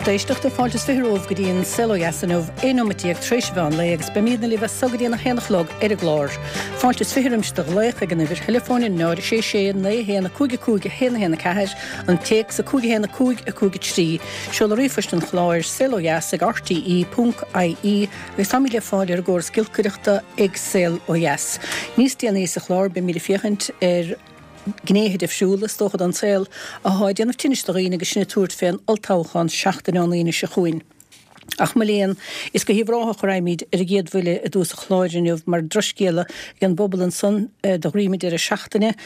Lucht éisteachta, fáilte is 20 romhaibh go dtí an Saol Ó Dheas inniu, 11 nóimeat tar éis an mheán lae agus beimídne libh as so go dtí an 1 a chlog ar an gclár. Fáilte is 20 roimse do ghlaoch ag an uimhir theileafóin 0 6 6 9 1 5 5 1 1 4, an téacs 5 1 5 5 3, seoladh ríomhphoist an chláir, saolodheas ag rte ponc ie agus táimid le fáil ar an gcóras giolcaireachta ag Saol Ó Dheas. Níos déanaí sa chlár beimid ag féachaint ar. gnéithe difriúla, is dócha, den saol athá ag déanamh tinnis do dhaoine agus sinn ag tabhairt fén olltoghchán seachtain ón Aoine seo chugainn. Ach mo léan, is go hUíbh Ráthach a raghaimid ar an gcéad bhuille i dtús an chláir inniu mar drochscéala ag an bpobal ansan do dhroim an deireadh seachtaine,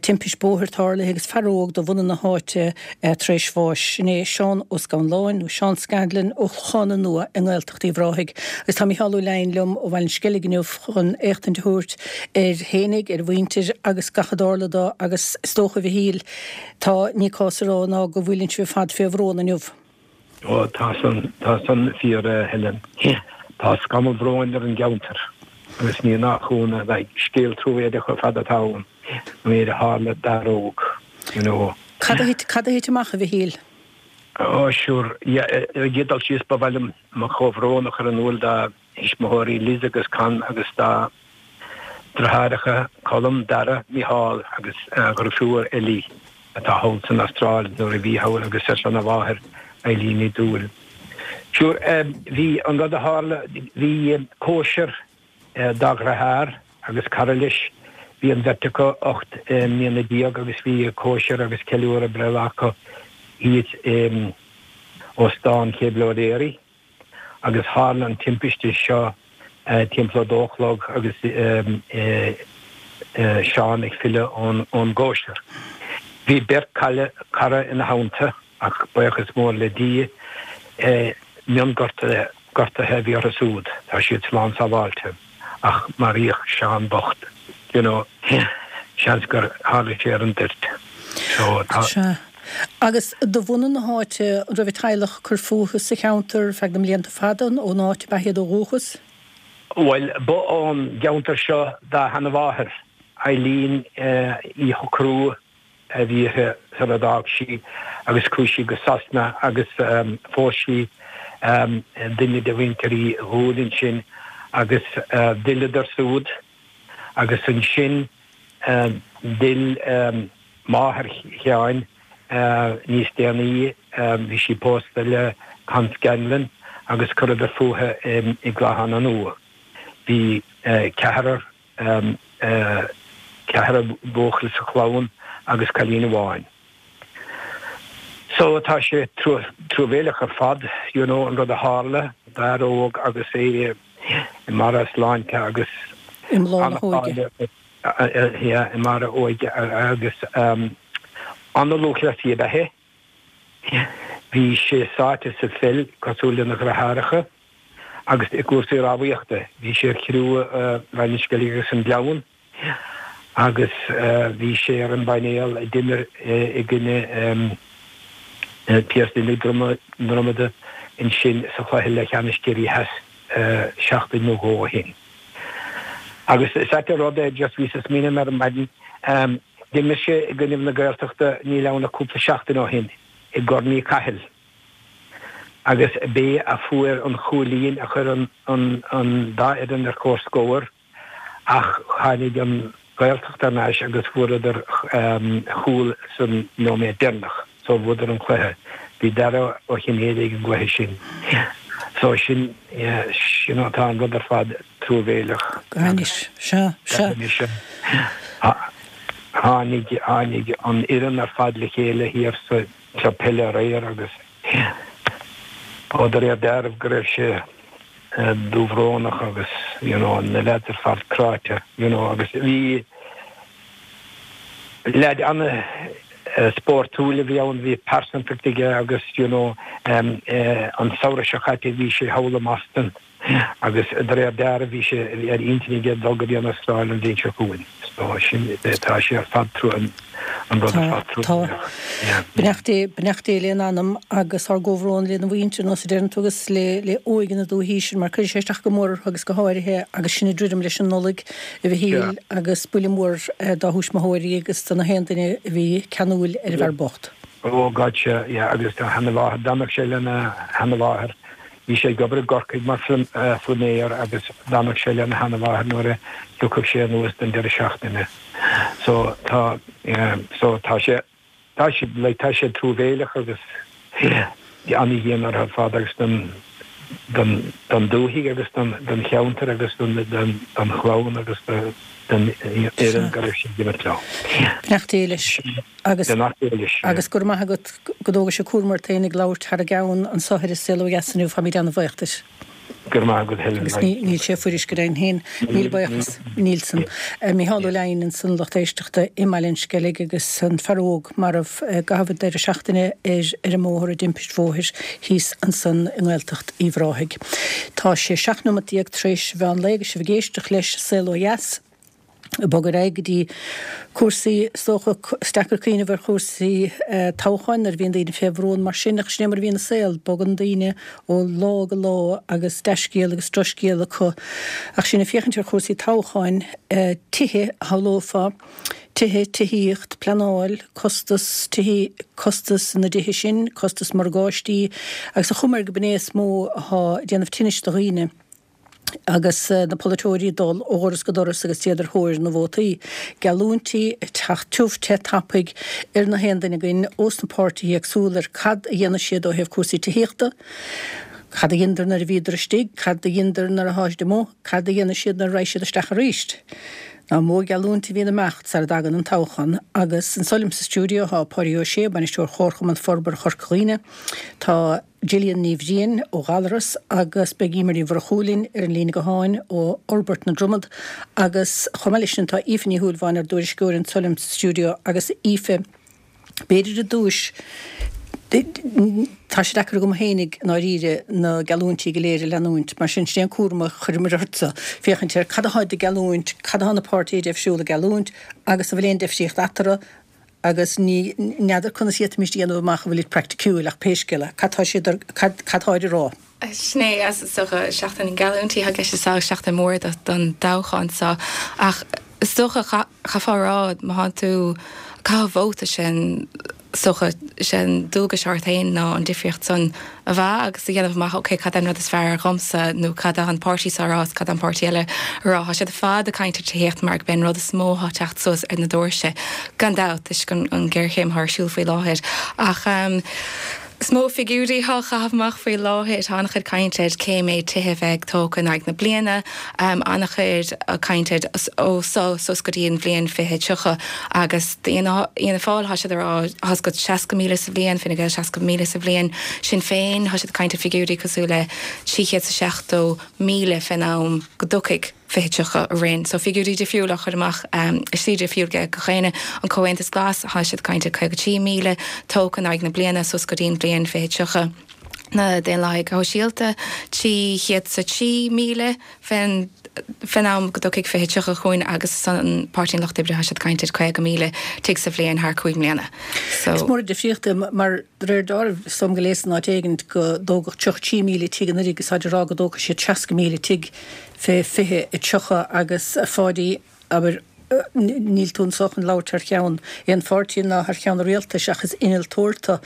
timpist bóthair tarlaithe agus fear óg de bhunadh na háite tar éis bháis. Sin é Seán Ó Scanláin, nó Seán Scanlon, ó Chlochán Nua i nGaeltacht Uíbh Ráthaigh. Agus tá Mícheál Ó Leidhin liom ó Bhaile an Sceilg inniu chun éachtaint a thabhairt air fhéinig, ar a mhuintir agus gach a dtarla dó agus is dócha, a Mhichíl, tá, ní cás a rá ná go bhfuileann sibh ar fad fé bhrón inniu. Ó, tá san, tá san fíor, a Helen. Tá scamall bhróin ar an gceantar agus ní nach ionadh, like, scéal truamhéileach ar fad atá ann, an méid a tharla d'fhear óg, you know. Cad a thit, cad a thit amach, a Mhichíl? Ó, sure, yeah, ar an gcéad dul síos ba mhaith liom mo chomhbhrón a chur in iúl dá thuismitheoirí Liz agus Con agus dá dheartháireacha Colm, Dara, Micheál agus a dhrifiúr Ellie atá thall san Astráil nuair a bhí thall agus ar son a mháthair Eileen Ní Dúill. Sure, bhí an rud a tharla, bhí cóisir dá dheartháir agus cara leis, bhí an bheirt acu 18 mbliana agus bhí cóisir agus ceiliúradh breithlá acu thíos in Óstán Chéibh O'Leary. agus tharla an timpiste seo timpeall a dó a chlog agus Seán ag filleadh ón gcóisir. Bhí beirt cara ina theannta ach buíochas mór le Dia, mionghortuithe a bhí orthu siúd, tá siad slán sábháilte ach maraíodh Seán bocht, you know, seans gur tharla sé ar an dtoirt. So tá. Agus de bhunadh na háite, an raibh a teaghlach ag cur fúthu sa cheantar ar feadh na mblianta fada, nó ón áit ab ea iad ó dhúchas? Bhuel, ba ón gceantar seo dá sheanmháthair, Eileen Uí Shocrú a bhí uirthi sar a d'fhág sí agus chuaigh sí go Sasana agus phós sí duine de mhuintir Uí Dhúill ansin agus d'fhilleadar súd agus ansin D'fhill máthair Sheáin níos déanaí, bhí sí pósta le Con Scanlon agus chuireadar fúthu i gClochán Nua. Bhí ceathrar, ceathrar buachaill sa chlann agus cailín amháin. So tá sé truamhéileach ar fad, you know, an rud a tharla d'fhear óg agus é i mbarra a sláinte agus I mbláth na hóige. Yeah, i mbarra a óige agus an-lúthchleasaí ab ea é. Bhí sé sáite sa pheil cosúil lena dheartháireacha agus i gcúrsaí rámhaíochta. Bhí sé ar chriú Bhaile an Sceilg agus an Gleann. agus bhí sé ar an bpainéal a d'imir i gcoinne Piarsaigh na Dromoda ansin sa chluiche leathcheannais Ciarraí Theas seachtain nó dhó ó shin. Agus is ait an rud é, just bhíos ag smaoineamh ar maidin, d'imir sé i gcoinnibh na Gaeltachta níl ann ach cúpla seachtain ó shin i gCorn Uí Chathail agus b'é a fuair an chúilín a chuir an dá fhoireann ar comhscór. Ach tháinig an Ghaeltacht thar n-ais agus fuaireadar chúl san nóiméad deireanach so bhuadar an cluiche. Bhí Dara Ó Cinnéide ag an gcluiche sin. So sin, yeah, you know, tá an rud ar fad truamhéileach. Go hainnis, sea, sea. Go hainnis, sea. Tháinig, tháinig an fhoireann ar fad le chéile thiar sa club peile aréir agus, ó de réir dealraimh go raibh sé dúbhrónach agus you know na leaids ar fad cráite you know agus bhí leaid ana spórtúil a bhí ann, bhí pearsantacht aige agus you know an samhradh seo caite bhí sé thall i mBoston Agus de réir dealraimh bhí sé ar intinn aige dul go dtí an Astráil an bhliain seo chugainn. So sin, tá sé ar fad trua, an rud ar fad Tá, tá. Beannacht Dé, beannacht Dé lena anam agus ár gcomhbhrón lena mhuintir, nós a deireann tú, agus le, le óige na dúichí sin mar cuirfidh sé isteach go mór orthu agus go háirithe agus sinn ag druidim leis an Nollaig, a Mhichíl, agus buille mór dá thuismitheoirí agus do na haon duine a bhí ceanúil ar an bhfear bocht. Oh God sea, yeah, agus a sheanamháthair, d'fhanadh sé lena sheanamháthair, bhí sé ag obair i gCorcaigh mar phluiméir agus d'fhanadh sé lena sheanamháthair nuair a thiocfadh sé anuas don deireadh seachtaine. So tá, yeah, so tá sé, tá sé, like, tá sé truamhéileach agus yeah, ana-dhian orthu ar fad agus don, don, don dúthaigh agus don, don cheantar agus don, don, don chlann agus do, don fhoireann go raibh sé ag imirt leo. Beannacht Dé leis. Agus, agus go raibh maith agat go dtógais an cúram ort féin ag labhairt thar a gceann anso ar An Saol Ó Dheas inniu, táimid ana-bhuíoch duit. Go raibh maith agat Helen. Agus níl sé fuirist go deimhin féin. Míle buíochas. Níl san. Mícheál Ó Leidhin ansan lucht éisteachta i mBaile an Sceilg agus an fear óg marbh i gcaitheamh an deireadh seachtaine ar ar an mbóthar i dtimpist bhóthair thíos ansan i nGaeltacht Uíbh Ráthaigh. Tá sé 17 nóimeat tar éis mheán lae agus sibh ag éisteacht leis Saol Ó Dheas. Ag bogadh ar aghaidh go dtí cúrsaí, is dócha, is deacair cuimhneamh ar chúrsaí toghcháin nuair a bhíonn daoine fé bhrón mar sin, ach sin é mar a bhíonn an saol, bogann daoine ó lá go lá agus dea-scéal agus drochscéal acu. Ach sinn ag féachaint ar chúrsaí toghcháin, tithe, a shamhlófá, tithe, tithíocht, pleanáil, costas tithe, costas na dtithe sin, costas morgáistí, agus an chuma air gurb in é is mó atá ag déanamh tinnis do dhaoine. agus na polaiteoirí ag dul ó dhoras go doras agus iad ar thóir na vótaí. Geallúintí ag teacht tiubh te tapaidh ar na haon duine againn ós na páirtithe éagsúla ar cad a dhéanfaidh siad ó thaobh cúrsaí tithíochta, cad a dheineadar nuair a bhíodar istigh, cad a dheineadar nuair atá siad amuigh, cad a dhéanfaidh siad nuair a raghaidh siad isteach arís. Nach mó geallúint a bhíonn ag imeacht sara dtagann an toghchán. Agus anso liom sa stiúideo tá Páidí Ó Sé, Bainisteoir Chomharchumann Forbartha Chorca Dhuibhne, tá. Gillian Ní Bhriain ó Ghallaras agus beidh Emer Ní Mhurchú linn ar an líne gutháin ó Fhorbairt na Dromad agus chomh maith leis sin tá Aoife Ní Shúilleabháin ár dtuairisceoir anso liom sa stiúideo agus Aoife b'fhéidir i dtús tá sé deacair agam fhéinig i ndáiríre na geallúintí go léir a leanúint mar sin sin é an cúram a chuireamar ortsa féachaint ar cad atáid ag geallúint, cad atá na páirtithe difriúla ag geallúint agus an bhfuil aon deifríocht eatarthu. agus ní, n'fheadar conas fhéadfaimis a dhéanamh amach an bhfuilid praiticiúil ach pé scéal é, cad tá siad ar, cad, cad táid a rá? Sin é, is dócha, seachtain na ngeallúintí atá i gceist is seachtain mhór don toghchán seo ach is dócha, chaithfeá a rá, má thánn tú ag caitheamh vóta sin, is dócha, sé an dualgas ort féin ná an difríocht san a mheá agus a dhéanamh amach ok cad é an rud is fearr dhomsa nó cad tá an páirtí seo a rá is cad tá an páirtí eile a rá. Tá siad ar fad ag caint ar tithíocht mar gurb é an rud is mó atá ag teacht suas ar na doirse gan dabht toisc an ghéarchéim atá ar siúl faoi láthair. Ach is mó figiúirí atá á chaitheamh amach faoi láthair. Tá an-chuid cainte ar cé méid tithe a bheidh tógtha in aghaidh na bliana, an-chuid cainte ar ó seo suas go dtí an bhliain 2030 agus D'Fhianna Fáil, tá siad ag rá, tá 'fhios agat 60,000 sa bhliain, Fine Gael 60,000 sa bhliain, Sinn Féin, tá siad ag caint ar figiúirí cosúil le 370,000 fén am go dtiocfaidh 2030 orainn. So figiúirí difriúla á chur amach i slí difriúil ag gach éinne. An Comhaontas Glas, tá siad ag caint ar 53,000 tógtha in aghaidh na bliana suas go dtí an bhliain 2030. Na Daonlathaigh Shóisialta, 303,000 fén fén am go dtiocfaidh 2030 chugainn agus ansan Páirtí an Lucht Oibre tá siad ag caint ar 50,000 tigh sa bhliain thar 5 mbliana. So. Is mór an difríocht é mar de réir dealraimh is dóigh liom gur léas in áit éigint go dtógadh 33,000 tigh anuraidh agus táid ag rá go dtógfaidh siad 60,000 tigh fé 2030 agus a Pháidí abair, níl tú anso chun labhairt thar cheann aon pháirtí ná thar cheann an rialtais ach is innealtóir tú.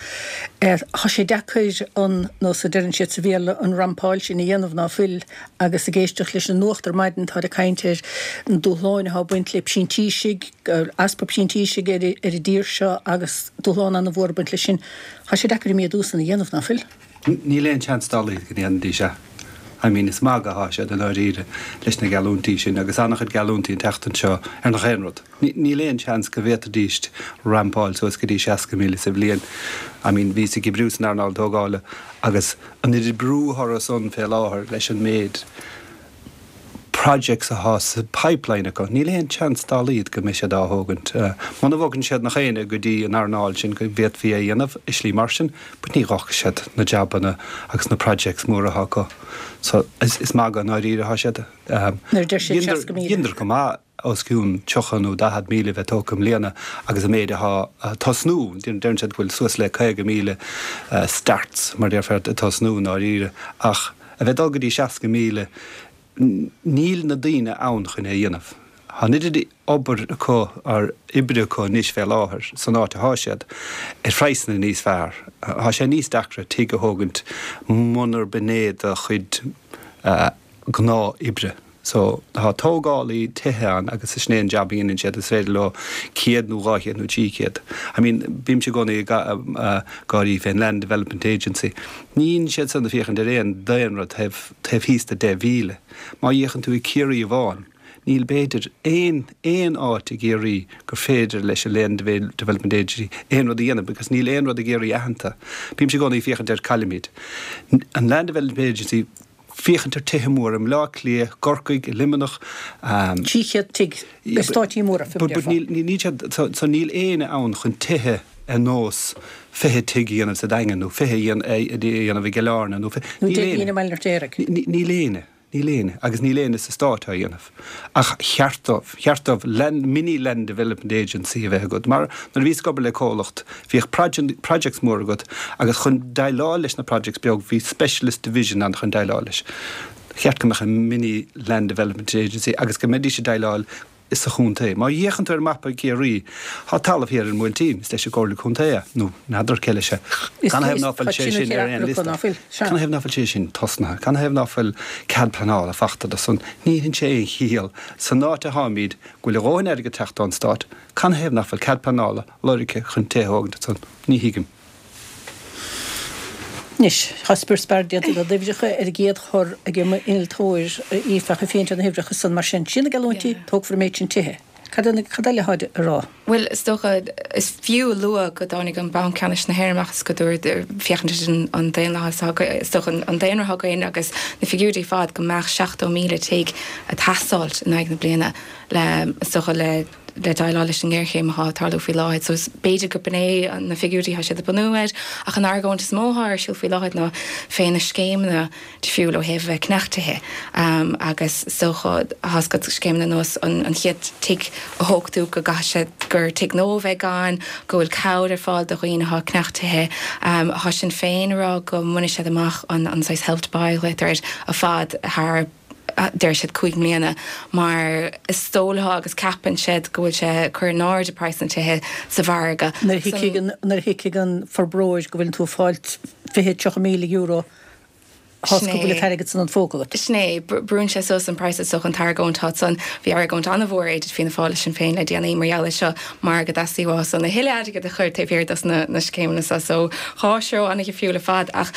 Tá sé deacair an nós a deireann siad sa Bhéarla an rampáil sin a dhéanamh ná fuil agus ag éisteacht leis an nuacht ar maidin táid ag caint ar na dúshláin atá ag baint le printísigh, easpa printísigh ar an dtír seo agus dúshlán an-mhór ag baint leis sin. Tá sé deacair an méadú san a dhéanamh, ná fuil? Níl aon seans dá laghad go ndéanfaidís é. I mean, is magadh athá siad i ndáiríre leis na geallúintí sin agus an-chuid geallúintí an tseachtain seo ar nach aon rud. Níl aon seans go bhféadfaidís rampáil suas go dtí 60,000 sa bhliain. I mean, bhíos ag oibriú san earnáil tógála agus an oiread brú orthu san fé láthair leis an méid projects athá sa pipeline acu, níl aon chance dá laghad go mbeidh siad á thógaint. Muna bhogann siad nach éinne go dtí an earnáil sin go bhféadfaí é a dhéanamh i slí mar sin, but ní dh'fhágfaidh siad na jabanna agus na projects móra athá acu. So, is magadh i ndáiríre athá siad. Nuair a deir siad 60,000. Dheineadar go maith os cionn 30 nó 40,000 a bheith tógtha i mbliana agus an méid athá ag tosnú, deireann siad go bhfuil suas le 50,000 starts, mar déarfá, ag tosnú i ndáiríre ach, A bheith ag dul go dtí 60,000, níl na daoine ann chun é a dhéanamh. Tá an oiread obair acu, or oibre acu anois fé láthair san áit athá siad, ar phraghsanna níos fearr. Tá sé níos deacra tigh a thógaint munarb in é do chuid gnáth oibre. So, tá tógálaí tithe ann agus sin é an jab a dhéanann siad, is féidir leo 100 nó 200 nó 300. I mean, bímse i gcónaí ag gáirí fén Land Development Agency. Ní dhéanann siad san ag féachaint ar aon daonra taobh taobh thíos de 10,000. Má fhéachann tú i Ciarraí amháin, níl b'fhéidir aon aon áit i gCiarraí gur féidir leis an Land Development Agency aon rud a dhéanamh because níl aon rud i gCiarraí aitheanta. Bímse i gcónaí ag féachaint ar caillimid an Land Development Agency féachaint ar tithe móra i mBleá Cliath, gCorcaigh, i Luimneach. 300 tigh i stáití móra, fé mar a déarfá. But níl siad, so níl éinne ann chun tithe ar nós 20 tigh a dhéanamh sa Daingean nó 20 a dhéanamh i gCill Airne nó 20, Nó níl 10 éinne. i mBaile an Fheirtéaraigh. Níl éinne. Níl éinne, agus níl éinne sa Stát á dhéanamh. Ach cheart dóibh, cheart dóibh land, mini land development agency a bheith agat. Mar nuair a bhíos ag obair le comhlacht, bhíodh projects mór agat agus chun déileáil leis na projects beag, bhí specialist division ann chun déileáil leis. Cheart go mbeadh an mini land development agency agus go mbeidís ag déileáil sa chontae. Má fhéachann tú ar mapa Chiarraí, tá talamh thiar ar an mBuailtín, is leis an gComhairle Contae é, nó n'fheadar cé leis é. Canathaobh ná fuil sé sin ar aon liosta? Canathaobh ná fuil sé sin tosnaithe? Canathaobh ná fuil cead pleanála fachta do san? Ní dhéanann sé aon chiall. San áit atáimid, go bhfuil a dhóthain airgid teacht ón Stát, canathaobh ná fuil cead pleanála lorgtha chun tithe a thógaint ansan? Ní thuigim. Anois, tá spior spear déanta de d'uimhreacha ar an gcéad chor ag m'innealtóir, Aoife, ach ag féachaint ar na huimhreacha san, mar sin, sin na geallúintí, tógfar an méid sin tithe. Cad cad eile atá a rá? Bhuel, is dócha, is fiú a lua go dtáinig an Banc Ceannais na hÉireann amach is go dúirt, féachaint ar an daonlathas atá, is dócha an daonra atá againn agus na figiúirí ar fad, go mbeadh 70,000 tigh ag teastáilt in aghaidh na bliana le, is dócha, le le déileáil leis an ngéarchéim atá ag tarlú faoi láthair. So b'fhéidir go b'in é na figiúirí atá siad ag bunú air, ach an argóint is mó atá ar siúl faoi láthair ná fé na scéimeanna difriúil ó thaobh a bheith ag ceannach tithe agus is dócha tá a fhios agat scéimeanna ar nós an chéad tigh a thóg tú go gcaithfidh sé gur tigh nua a bheidh ann, go bhfuil cabhair ar fáil do dhaoine atá ag ceannach tithe. Tá Sinn Féin ag rá go mbainfidh siad amach an saghas Help to Buy a ghlaotar air ar fad thar deir siad 5 mbliana, mar is dóigh leo agus ceapann siad go bhfuil sé ag cur in airde praghas na tithe sa mhargadh. Nuair a thuigfidh an, nuair a thuigfidh an forbróir go bhfuileann tú ag fáilt 20, 30 míle euro, tá a fhios agat go bhfuil an t-airgead san an phóca agat. Sin é, brúnn sé suas an praghas is dócha an t-argóint atá ansan. Bhí argóint an-mhór idir Fianna Fáil is Sinn Féin le déanaí mar gheall air seo mar go dteastaigh uathu san a thuilleadh airgid a chur taobh thiar dos na scéimeanna seo. So, dhá threo an-dhifriúil ar fad ach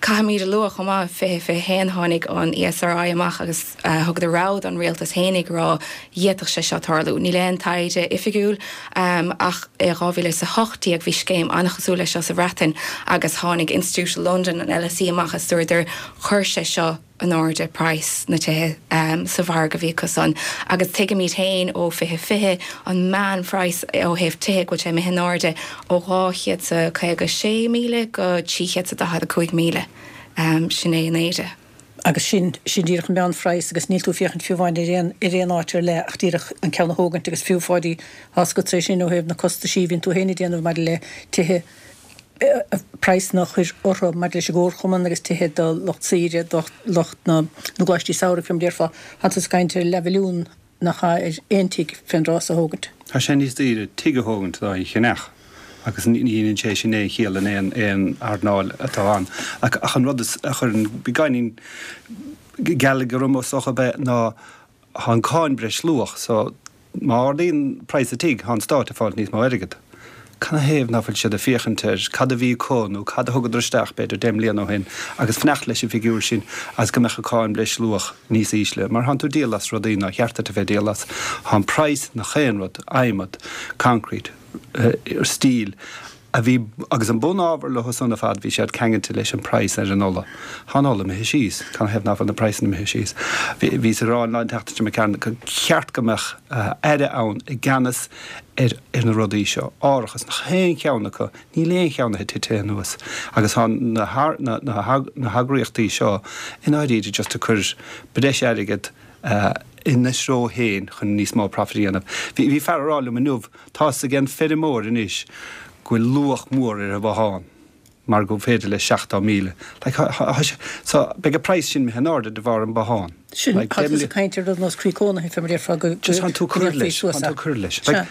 Caithfimid a lua chomh maith, 2021 tháinig an ESRI amach agus thugadar rabhadh don rialtas fhéinig ag rá d'fhéadfadh sé seo tarlú. Níl aon taighde oifigiúil ach i 2018 bhí scéim an-chosúil leis seo sa Bhreatain agus tháinig Institiúid Londain, an LSE, amach is dúradar chuir sé seo in airde praghas na tithe sa mhargadh a bhí acu san. Agus tuigimid féin ó 2020 an meánphraghas ó thaobh tithe go bhfuil sé imithe in airde ó 256,000 go 345,000. Sin é an airde. Agus sin, sin díreach an meánphraghas agus níl tú ag féachaint fiú amháin ar aon, ar aon áit ar leith ach díreach an ceann a thógaint agus fiú Pháidí, tá a fhios agatsa é sin ó thaobh na costaisí a bhíonn tú féin ag déanamh maidir le tithe, praghsanna a chur orthu maidir leis an gcomharchumann agus tithe do lucht saoire, do lucht na gcoláistí samhraidh, fé mar a déarfá. Tá tusa ag caint ar leathmhilliún nach ea ar aon tigh fén dtráth so a thógaint. Tá sé níos daoire tigh a thógaint ná é a cheannach agus ní dhéanann sé sin aon chiall in aon aon earnáil atá ann. Ach an rud is a chuireann beagáinín gealaigh orm is dócha ab ea ná Thá an cáin breisluach, so má ardaíonn praghas an tigh, thá an stát ag fáilt níos mó airgead. Canathaobh ná fuil siad ag féachaint ar cad a bhí acu nó cad a thugadar isteach b'fhéidir 10 mbliana ó shin agus fanacht leis an bhfigiúr sin agus go mbeadh an cáin breisluach níos ísle mar thánn tú ag díol as rudaí nár cheart duit a bheith ag díol as. Thá an praghas nach aon rud, adhmad, concrete, steel, a bhí, agus an bunábhar leo san ar fad, bhí siad ceangailte leis an praghas ar an ola. Tá an ola imithe síos. Canathaobh ná fuil na praghsanna imithe síos? Bhíos ag rá an lá an tseachtain seo imigh tharainn gur cheart go mbeadh aire ann i gceannas ar ar na rudaí seo. Árachas, nach aon cheann acu, níl aon cheann acu tite anuas. Agus tá na na na heagraíochtaí seo i ndáiríre just ag cur breis airgead ina dtreo féin chun níos mó profit a dhéanamh. Bhí fear ag rá liom inniu, Tá 'fhios ag an feirmeoir anois go bhfuil luach mór ar a bhothán. mar gur féidir leis 70,000. Like, thá sé, so, beidh an praghas sin imithe in airde de bharr an bothán. Sin, Like, tá tusa ag caint ar rud nós croí cónaithe, fé mar a déarfá, go, go, Just thánn tú go cur ndéanfaí leis, suas thánn é. tú cur leis. Sea. Like,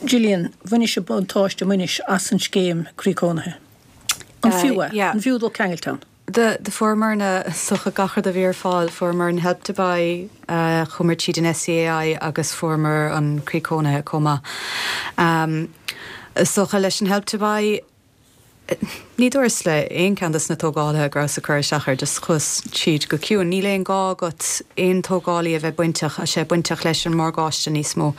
Gillian, bhainis buntáiste, mbainis, as an scéim croí cónaithe. An fiú é? Yeah. An fiú dul ceangailte ann? Do fuaireamarna is dócha gach rud a bhí ar fáil. Fuaireamar an Help to Buy, chuamar tríd an SEAI agus fuaireamar an Croí Cónaithe chomh maith. Is dócha leis an Help to Buy, ní dúras le aon cheann dos na tógálaithe go rabhas ag cur isteach air, just chuas tríd go ciúin. Níl aon gá agat aon tógálaí a bheith bainteach, sé bainteach leis an morgáiste níos mó.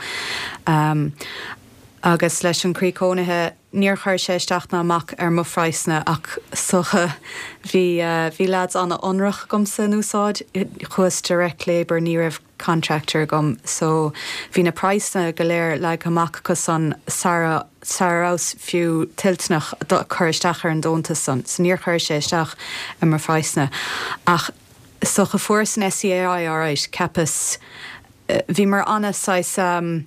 Agus leis an Croí Cónaithe, Níor chuir sé isteach ná amach ar mo phraghsanna ach is dócha bhí bhí leaids an-ionrach agamsa in úsáid, chuas direct labour, ní raibh contractor agam so bhí na praghsanna go léir leagtha amach acu san sara sara rabhas fiú toilteanach cur isteach ar an deontas san so níor chuir sé isteach ar mo phraghsanna ach is dócha fuaireas an SEAI alright cheapas bhíomar ana saghas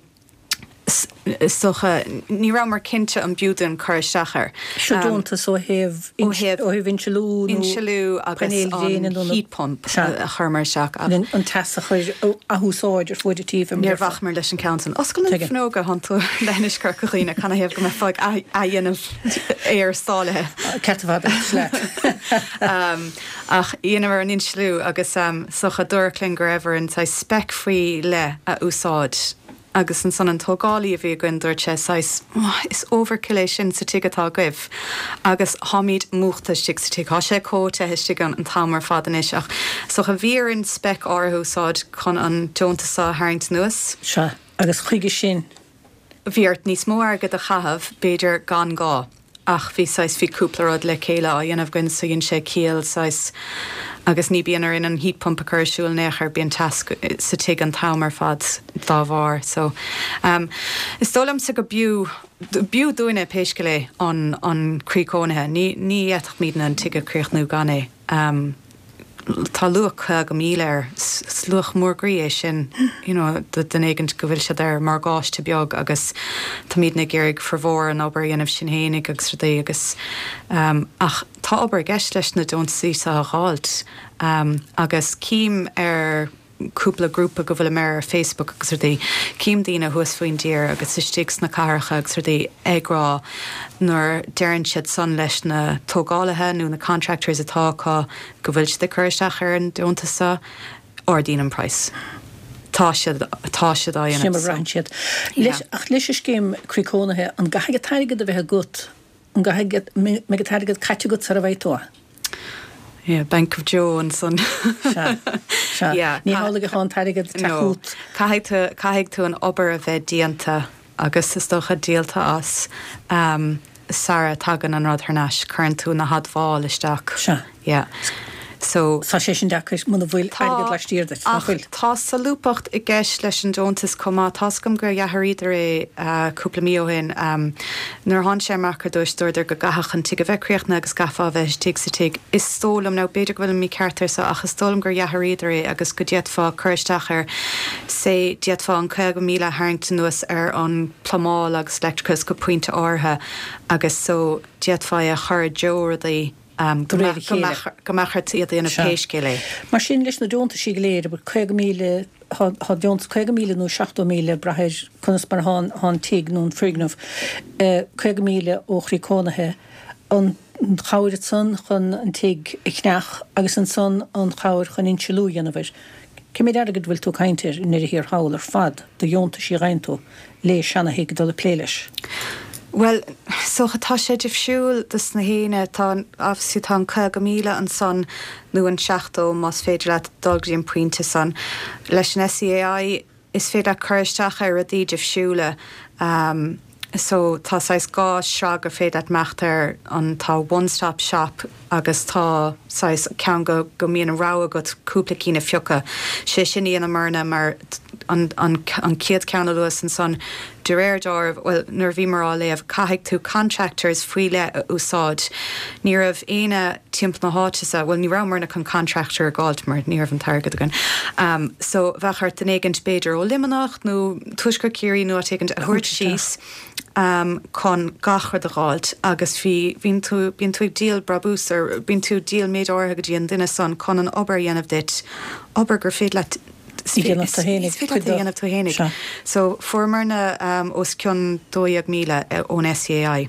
is dócha, ní rabhamar cinnte an b'fhiú dúinn cur isteach air. Seo deontas ó thaobh ó thaobh insealú nó insealú agus painéil ghréine an nó na heat pump Sea. a chuireamar isteach ach. an teas a chur athúsáid ar fuaid an tí fé mar Níor déarfá. bhacamar leis an ceann san. Oscail na Tuigim. fuinneoga thánn tú leithinis Corca Dhuibhne, canathaobh go mbeifeá ag athdhéanamh aer stáilithe. Ceart ar fad agat, leat. Ach dheineamar an insealú agus is dócha dúradh linn go raibh orainn saghas spec faoi leith a úsáid. Agus ansan an tógálaí a bhí againn dúirt sé saghas, is overkill é sin sa tigh atá agaibh agus tháimíd múchta istigh sa tigh, thá sé chomh te istigh ann an t-am ar fad anois ach is dócha bhí orainn spec áirithe a úsáid chun an deontas seo a tharraingt anuas. Sea, agus chuige sin. Bhí ort níos mó airgid a chaitheamh, b'fhéidir gan gá. Ach bhí saghas, bhí cúpla rud le chéile á dhéanamh againn so dhein sé ciall saghas agus ní bíonn orainn an heat pump a chur ar siúl in aon chor, bíonn teas sa tigh an t-am ar fad dá bharr. So ehm is dóigh liomsa go b'fhiú, b'fhiú dúinne pé scéal é an, an croí cónaithe. Ní, ní fhéadfadh muidne an tigh a chríochnú gan é. Ehm. Tá luach 50,000 air. Is luach mór groí é sin, you know, do dhuine éigint go bhfuil siad ar morgáiste beag agus táimidne ag iarraidh formhór an obair a dhéanamh sinn fhéinig agus rudaí agus ach tá obair i gceist leis na deontaisí seo a dh'fháilt agus cím ar cúpla grúpa go bhfuilim air ar Facebook agus rudaí, cím daoine thuas faoin dtír agus istigh sna cathracha agus rudaí ag rá nuair deireann siad san leis na tógálaithe nó na contractors atá acu go bhfuil siad ag cur isteach ar an deontas seo, ardaíonn an praghas. Tá siad, tá siad á Sin dhéanamh mar a so. bhraitheann siad. Yeah. Leis, ach leis an scéim Croí Cónaithe, an gcaithfidh an t-airgead a bheith agat An gcaithfidh go mbeidh an t-airgead caite agat sara bhfaighidh tú é? Yeah, Bank of Joe ansan. Sea, sea. Yeah. Ní hamhlaidh atá an t-airgead ag teacht No. chugat. Caithfidh tú, caithfidh tú an obair a bheith déanta agus is dócha díolta as sara tagann an rud thar n-ais. Cuireann tú na hadmháil isteach. Sea. Yeah. So. Tá sé sin deacair muna bhfuil airgead laistiar duit, nach Ach bhfuil? tá solúbthacht i gceist leis an deontas chomh maith. Tá's agam gur dh'athraíodar é cúpla mí ó shin. Nuair a tháinig sé amach ar dtúis, dúradar go gcaithfeadh an tigh a bheith críochnaithe agus gcaithfeá a bheith istigh sa tigh. Is dóigh liom, now b'fhéidir go bhfuilim mícheart air so, ach is dóigh liom gur dh'athraíodar é agus go d'fhéadfá cur isteach air, say, d'fhéadfá an 50,000 a tharraingt anuas ar an plumbáil agus leictreachas go pointe áirithe agus so d'fhéadfá é a chur i dtreo rudaí. De réir a chéile. Go mbeadh ort iad a dhéanamh Sea. pé scéal é. Mar sin, leis na deontaisí go léir, abair 50,000, thá, thá deontas 50,000 nó 70,000 ag brath ar conas mar athá an, athá an tigh nó an foirgneamh, 50,000 ó chroí cónaithe, an chabhair ansan chun an tigh a cheannach agus ansan an chabhair chun insealú a dhéanamh air. Cé méid airgid a bhfuil tú ag caint air i ndeireadh thiar thall ar fad do dheontaisí a gheibheann tú? le seana-thigh dul ag plé leis. Bhuel, is dócha, tá sé difriúil dos na héinne. Tá, obviously, tá an 50,000 ansan, nó an 70 más féidir leat dul go dtí an pointe san. Leis an SEAI, is féidir leat cur isteach ar rudaí difriúla. So, tá saghas dhá shraith gur féidir leat imeacht air, an, tá one stop shop agus tá saghas ceann go, go mbíonn an rogha agat cúpla cinn a phiocadh. Sé sin a dheineamarna mar an, an, an chéad cheann a luas ansan, de réir deáraimh, bhuel, nuair a bhíomar á léamh, caithfidh tú contractors faoi leith a úsáid. Ní raibh éinne timpeall na háite sa, bhuel, ní rabhamarna chun contractor a dh'fháilt mar ní raibh an t-airgead againn. So, bheadh ort duine éigint b'fhéidir ó Luimneach nó Tuaisceart Chiarraí nó áit éigint a thabhairt síos. chun gach rud a dh'fháilt agus bhí, bhíonn tú, bíonn tú ag díol brabús or bíonn tú ag díol méid áirithe go dtí an duine san chun an obair a dhéanamh duit, obair gur féidir leat, is dhéanamh tú fhéinig, is féidir leat a dhéanamh tú fhéinig. Sea. So fuaireamarna os cionn 12,000 ón SEAI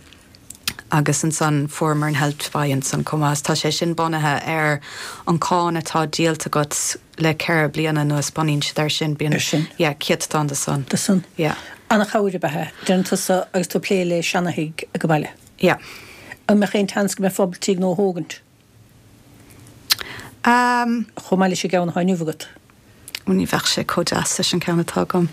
agus ansan fuaireamar an Help to Buy ansan chomh maith. Tá sé sin bunaithe ar an cáin atá díolta agat le 4 bliana anuas, bunaíonn siad air sin, bíonn, Ar sin. yeah, céatadán de san. De san. Yeah. Ana-chabhair ab ea é, deireann tusa agus tú ag plé le seana-thigh ag an baile. Yeah. An mbeadh aon tseans go mbeifeá ábalta tigh nua a thógaint? Um. Chomh maith leis an gceann atá inniu agat. Ó ní bheadh sé chomh deas leis an ceann atá agam.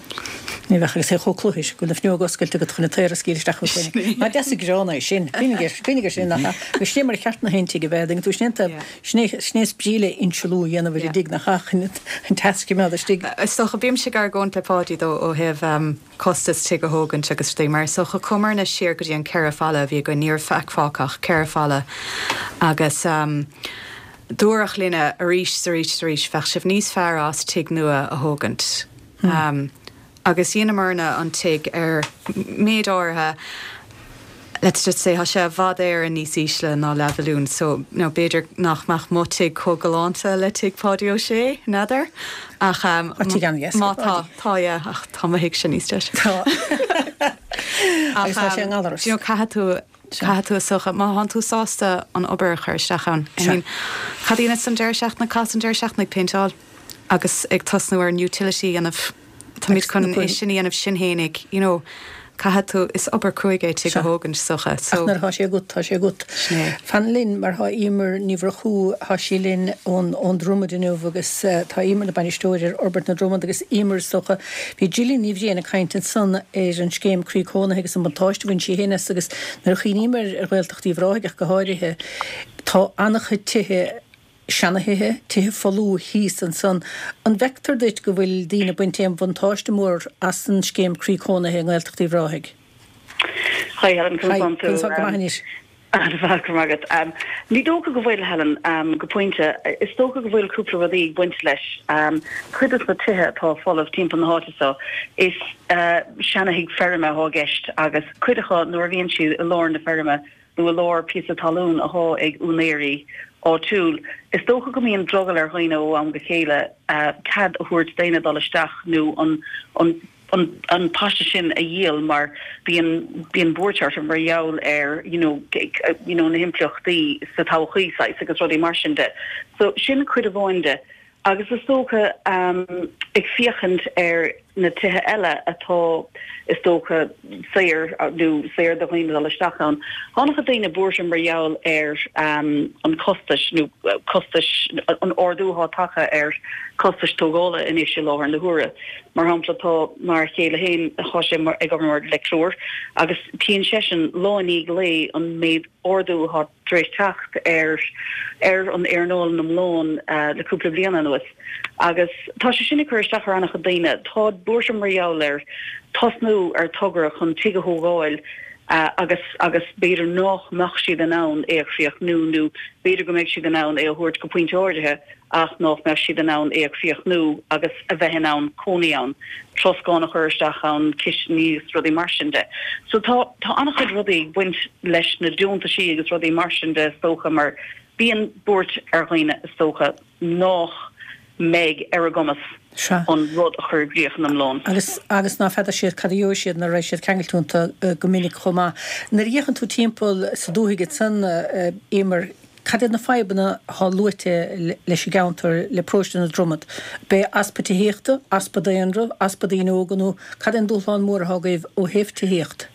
Ní bheadh agus é chomh cluthair, go bhfuil na fuinneoga oscailte agat chun an t-aer a scaoileadh isteach chugat féin. Nach deas an gránna é sin? Cuimhnigh air, cuimhnigh air sin, nach ea? Agus sin é mar a cheart na haon tigh a bheith, an dtuigeann tú, sin é an taobh, sin é, sin é is brí le insealú a dhéanamh ar an dtigh, nach ea, chun an teas a choimeád istigh. Is dócha, bímse ag argóint le Páidí though ó thaobh costas tigh a thógaint agus rudaí mar is dócha chuamarna siar go dtí an 4 falla a bhí againn, ní raibh faic fágtha ach 4 falla agus dúradh linne arís 's arís 's arís bheadh sibh níos fearr as tigh nua a thógaint. Agus dheineamarna an tigh ar méid áirithe, let's just say, tá sé i bhfad Éireann níos ísle ná leathmhilliún so you know b'fhéidir nach mbeadh mo tigh chomh galánta le tigh Pháidí Ó Sé, n'fheadar? Ach Tá tigh an-dheas má ag tá, Páidí. tá yeah ach tá mo thighse níos deise. Tá. Agus tá sé i nGallaras. Do you know caithfidh tú Caithfidh tú is dócha, má thánn tú sásta an obair a chur isteach ann. I mean, cad a dheineas an deireadh seachtaine, chaitheas an deireadh seachtaine ag péinteáil agus ag tosnú ar an utility a dhéanamh. Táimid chun é sin a dhéanamh sinn fhéinig, you know, caithfidh tú, is obair cruaidh é tigh a thógaint, is dócha, so. Ach nuair atá sé agat, tá sé agat. Sin é. Fan linn mar tá Emer Ní Mhurchú, tá sí linn ón, ón Dromad inniu agus tá Emer ina bainisteoir ar Fhorbairt na Dromad agus Emer is dócha, Bhí Gillian Ní Bhriain ag caint ansan ar an scéim Croí Cónaithe agus an buntáiste a bhain sí féin as agus nuair a chuimhním ar Ghaeltacht Uíbh Ráthaigh ach go háirithe, tá an-chuid tithe, seanathithe, tithe folmha thíos ansan. An bhfeictear duit go bhfuil daoine ag baint aon bhuntáiste mór as an scéim Croí Cónaithe i nGaeltacht Uíbh Ráthaigh? Hi Helen, conas tánn tú? Go maith anois. An-mhaith, go raibh maith agat. Ní dócha go bhfuil, Helen, go pointe. Is dócha go bhfuil cúpla rudaí ag baint leis. Cuid de na tithe atá folamh timpeall na háite seo, is seana-thigh feirme atá i gceist agus cuid acu nuair a bhíonn siad i lár na feirme nó i lár píosa talún atá ag úinéirí áitiúil, is dócha go mbíonn drogall ar dhaoine ó am go chéile cead a thabhairt d'éinne dul isteach nó an an an paiste sin a dhíol mar bíonn bíonn buairt orthu mar gheall ar you know you know na himpleachtaí sa todhchaí saghas agus rudaí mar sin de. So sin cuid amháin de. Agus is dócha ag féachaint ar na tithe eile atá is dócha saor nó saor do dhaoine dul isteach ann, tá an-chuid daoine buartha mar gheall ar an costais nó costais an ardú atá tagtha ar costais tógála anois i láthair na huaire. Mar shampla, tá m'fhear chéile féin, tá sé ag obair mar leictreoir agus tchíonn seisean lá i ndiaidh lae an méid ardú atá tar éis teacht ar ar an earnáil in iomlán le cúpla bliain anuas agus tá sé sin ag cur isteach ar an-chuid daoine. Tá buartha mar gheall ar tosnú ar togra chun tigh a thógáil agus agus b'fhéidir nách mbeadh siad in ann é a chríochnú nó b'fhéidir go mbeidh siad in ann é a thabhairt go pointe áirithe ach nách mbeadh siad in ann é a chríochnú agus a bheith in ann cónaí ann, troscán a chur isteach ann, cistiní agus rudaí mar sin de. So tá, tá an-chuid rudaí ag baint leis na deontaisí agus rudaí mar sin de is dócha mar bíonn buairt ar dhaoine is dócha nách mbeidh ar a gcumas Sea. an rud a chur i gcrích in iomlán. Agus, agus ná feadar siad cad a gheobhaidh siad nuair a raghaidh siad ceangailte iontu go minic chomh maith. Nuair a fhéachann tú timpeall sa dúthaigh ansan, Emer, Cad iad na fadhbanna atá luaite leis an gceantar, le paróiste na Dromad? B'é easpa tithíochta, easpa daonra, easpa daoine óga nó cad é an dúshlán mór atá agaibh ó thaobh tithíocht?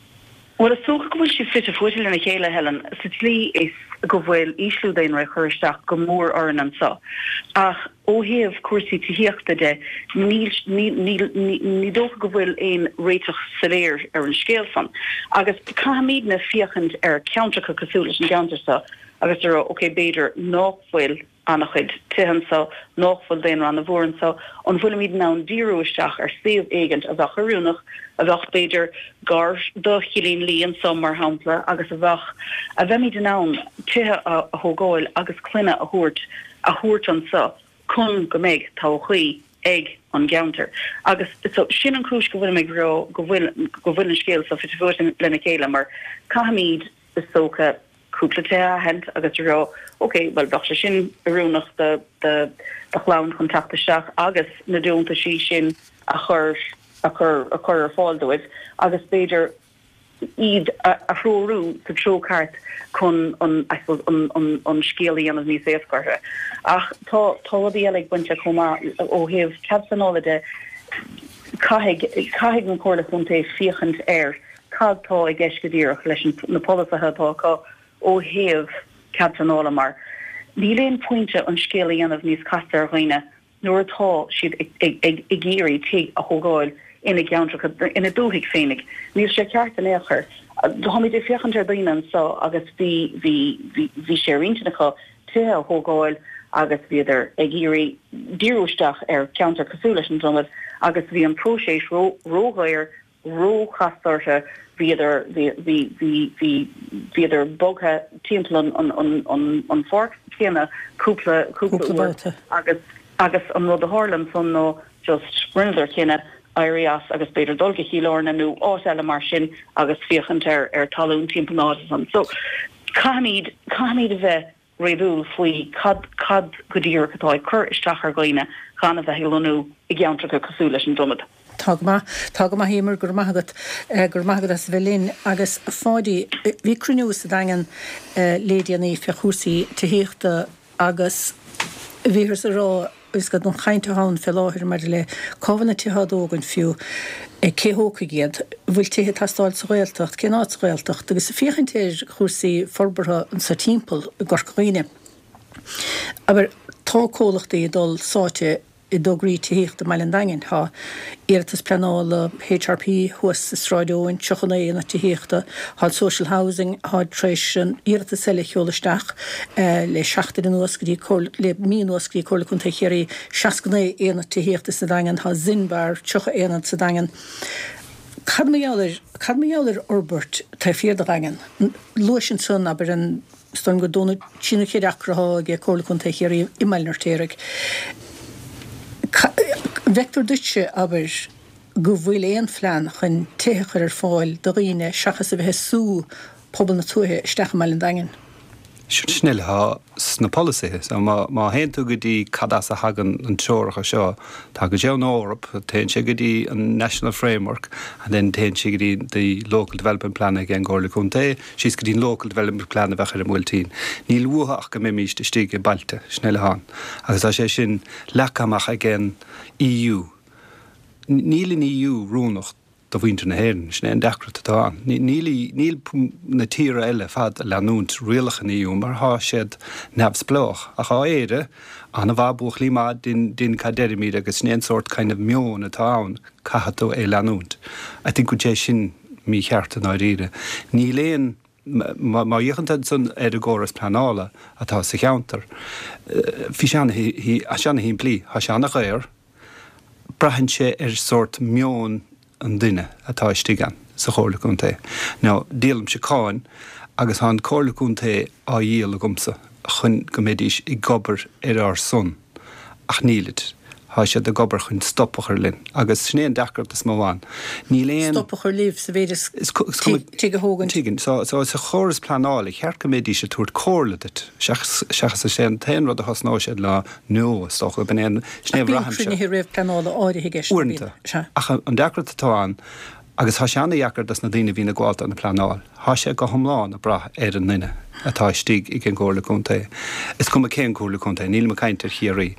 Bhuel, is dócha go bhfuil siad fite fuaite lena chéile, Helen, sa tslí is go bhfuil ísliú daonra ag cur isteach go mór orainn anseo. Ach ó thaobh cúrsaí tithíochta de, níl, níl, ní dócha go bhfuil aon réiteach soiléir ar an scéal san. Agus caithfimidne féachaint ar cheantracha cosúil leis an gceantar seo agus a rá, ok, b'fhéidir nách bhfuil an-chuid tithe anso, nách bhfuil daonra an-mhór anso, an bhfuilimid in ann díriú isteach ar suíomh éigint a bheadh oiriúnach, a bheadh, b'fhéidir, gar do Chillín Lí anso, mar shampla, agus a bheadh, a bheimid in ann tithe a thógáil agus clainne a thabhairt, a thabhairt anso chun go mbeidh todhchaí. ag an gceantar. Agus so sin an chúis go bhfuilim ag rá go bhfuil go bhfuil an scéal so fite fuaite lena chéile mar caithfimid is dócha cúpla tithe a aithint agus a rá ok bhuel bheadh sé sin oiriúnach do do do chlann chun teacht isteach agus na deontaisí sin a chur a chur a chur ar fáil dóibh agus b'fhéidir iad a threorú sa treo ceart chun an, I suppose, an, an, an scéal a dhéanamh níos éasca orthu. Ach tá, tá rudaí eile ag baint le chomh maith ó thaobh cead pleanála de, caithfidh, caithfidh an Chomhairle Chontae féachaint ar cad tá i gceist go díreach leis an, na polasaithe atá acu ó thaobh cead pleanála mar níl aon phointe an scéal a dhéanamh níos casta ar dhaoine nuair atá siad ag iarraidh tigh a thógáil ina gceantracha, ina dúthaigh féinig. Níl sé ceart in aon chor. Táimid ag féachaint ar daoine anso agus bhí, bhí, bhí, bhí sé ar intinn acu tithe a thógáil agus bhíodar ag iarraidh díriú isteach ar cheantar cosúil leis an Dromad agus bhí an próiseas ró, ródhaor, róchasta orthu, bhíodar, bhí, bhí, bhí, bhí, bhíodar bogtha timpeall an, an, an, an, an pháirc chéanna cúpla, cúpla uair agus, agus an rud a tharla ansan ná just rinneadar cinneadh éirí as agus b'fhéidir dul go Cill Airne nó áit eile mar sin agus féachaint ar, ar talún timpeall na háite san. So caithfimid, caithfimid a bheith réadúil faoi cad cad go díreach atá ag cur isteach ar dhaoine gan a bheith ag lonnú i gceantracha cosúil leis an Dromad. Tá go maith. Tá go maith, Emer, go raibh maith agat. Go raibh maith agat as a bheith linn. Agus, a Pháidí, bhí cruinniú sa Daingean le déanaí fé chúrsaí tithíochta agus bhíothas ag rá, Is go an chaint atá ann fé láthair maidir le cá bhfuil na tithe á dtógaint fiú, cé thógfaidh iad, an bhfuil tithe ag teastáil sa Ghaeltacht, cén áit sa Ghaeltacht, agus féachaint ar chúrsaí forbartha anso timpeall i gCorca Dhuibhne. Abair, tá comhlachtaí ag dul sáite i dtograí tithíochta i mBaile an Daingin. Tá iarratas pleanála HRP thuas i Sráid Eoin, 39 aonad tithíochta. Tá an Social Housing, tá tar éis an iarratas eile a sheoladh isteach le seachtain anuas go dtí Comhairle, le mí anuas go dtí Comhairle Contae Chiarraí, 69 aonad tithíochta sa Daingean, tá Zinbar, 30 aonad sa Daingean. Cad mar gheall ar, cad mar gheall ar fhorbairt taobh thiar de Dhaingean? Luais ansan, abair, an, is dóigh liom gur dó nó trí nó ceithre acra atá ag Comhairle Contae Chiarraí i mBaile an Fheirtéaraigh. An bhfeictear duitse, abair, go bhfuil aon phlean chun tithe a chur ar fáil do dhaoine seachas a bheith ag sú pobal na tuaithe isteach i mBaile an Daingin. Sin uile atá sna polasaithe. So má má théann tú go dtí cad as a thagann an treoracha seo, tagann sé ón Eoraip, téann sé go dtí an National Framework and then téann sé go dtí the Local Development Plan ag an gComhairle Contae, síos go dtí an Local Development Plan a bheadh ar an mBuailtín. Níl uathu ach go mbeimíst istigh i bailte, sin uile atá ann. Agus tá sé sin leagtha amach ag an EU. Níl an EU oiriúnach do mhuintir na hÉireann, sin é an deacracht atá ann. Níl níl na tíortha eile fad ag leanúint rialacha an EU mar thá siad neamhspleách. Ach thá Éire an-mhaith, buachaillí maith, dein dein cad deirimíd agus sin é an sórt kind of meon atá ann, caithfidh tú é leanúint. I think go bhfuil sé sin mícheart i ndáiríre. Níl aon Má fhéachann tú ansan ar an gcóras pleanála atá sa cheantar, bhí sé ana-shimplí, tá sé ana-dhaor, braitheann sé ar sórt meon an duine atá istigh ann sa Chomhairle Contae. Now, díolaimse cáin agus tá an Comhairle Contae á dhíol agamsa chun go mbeidís ag obair ar ár son. Ach nílid. Tá siad ag obair chun stop a chur linn. Agus sin é an deacracht is mó ann. Níl aon. Stop a chur libh sa mhéid is tigh a thógaint. Tigh. So, so sa chóras pleanála, cheart go mbeidís ag tabhairt comhairle duit. Seachas, seachas is é an t-aon rud a thosnóidh siad ná no, is dócha. B'in é an, sin é a Ach bíonn bhraithimse. cruinnithe réamhpleanála áirithe i gceist, nach mbíonn? Uaireanta. Ach an deacracht atá ann, Agus tá sé ana-dheacair dos na daoine a bhíonn ag gabháil don phleanáil. Tá sé go hiomlán ag brath ar an nduine atá istigh ag an gComhairle Contae. Is cuma cén Comhairle Contae, nílim ag caint ar Chiarraí.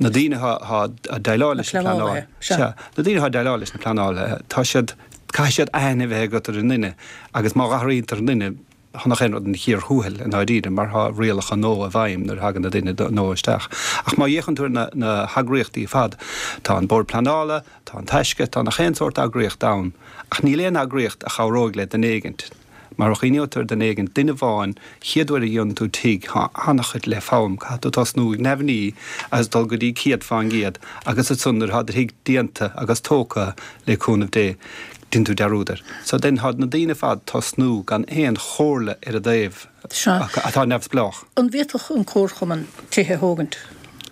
Na daoine atá ag déileáil leis an bpleanáil, sea, na daoine atá ag déileáil leis na pleanálaithe, tá siad, caithfidh siad aithne a bheith agat ar an nduine agus má athraítear an duine, Tá nach aon rud ina chíor thuathail i ndáiríre mar tá rialacha nua i bhfeidhm nuair a thagann na duine nua isteach. Ach má fhéachann tú ar na na heagraíochtaí ar fad, tá an Bord Pleanála, tá an Taisce, tá nach aon sórt eagraíocht ann. Ach níl aon eagraíocht a chabhróidh le duine éigint. Mar a chuimhneoidh tú ar duine éigint, duine amháin, chéad uair a dhéanann tú tigh, tá an-chuid le foghlaim, caithfidh tú tosnú ag neamhní agus dul go dtí 100% agus ansan nuair atá do thigh déanta agus tógtha le cúnamh Dé, Déanann tú dearúd air. So then tá na daoine ar fad tosnú gan aon chomhairle ar a dtaobh Sea. atá neamhspleách. An bhféadfadh an comharchumann tithe a thógaint?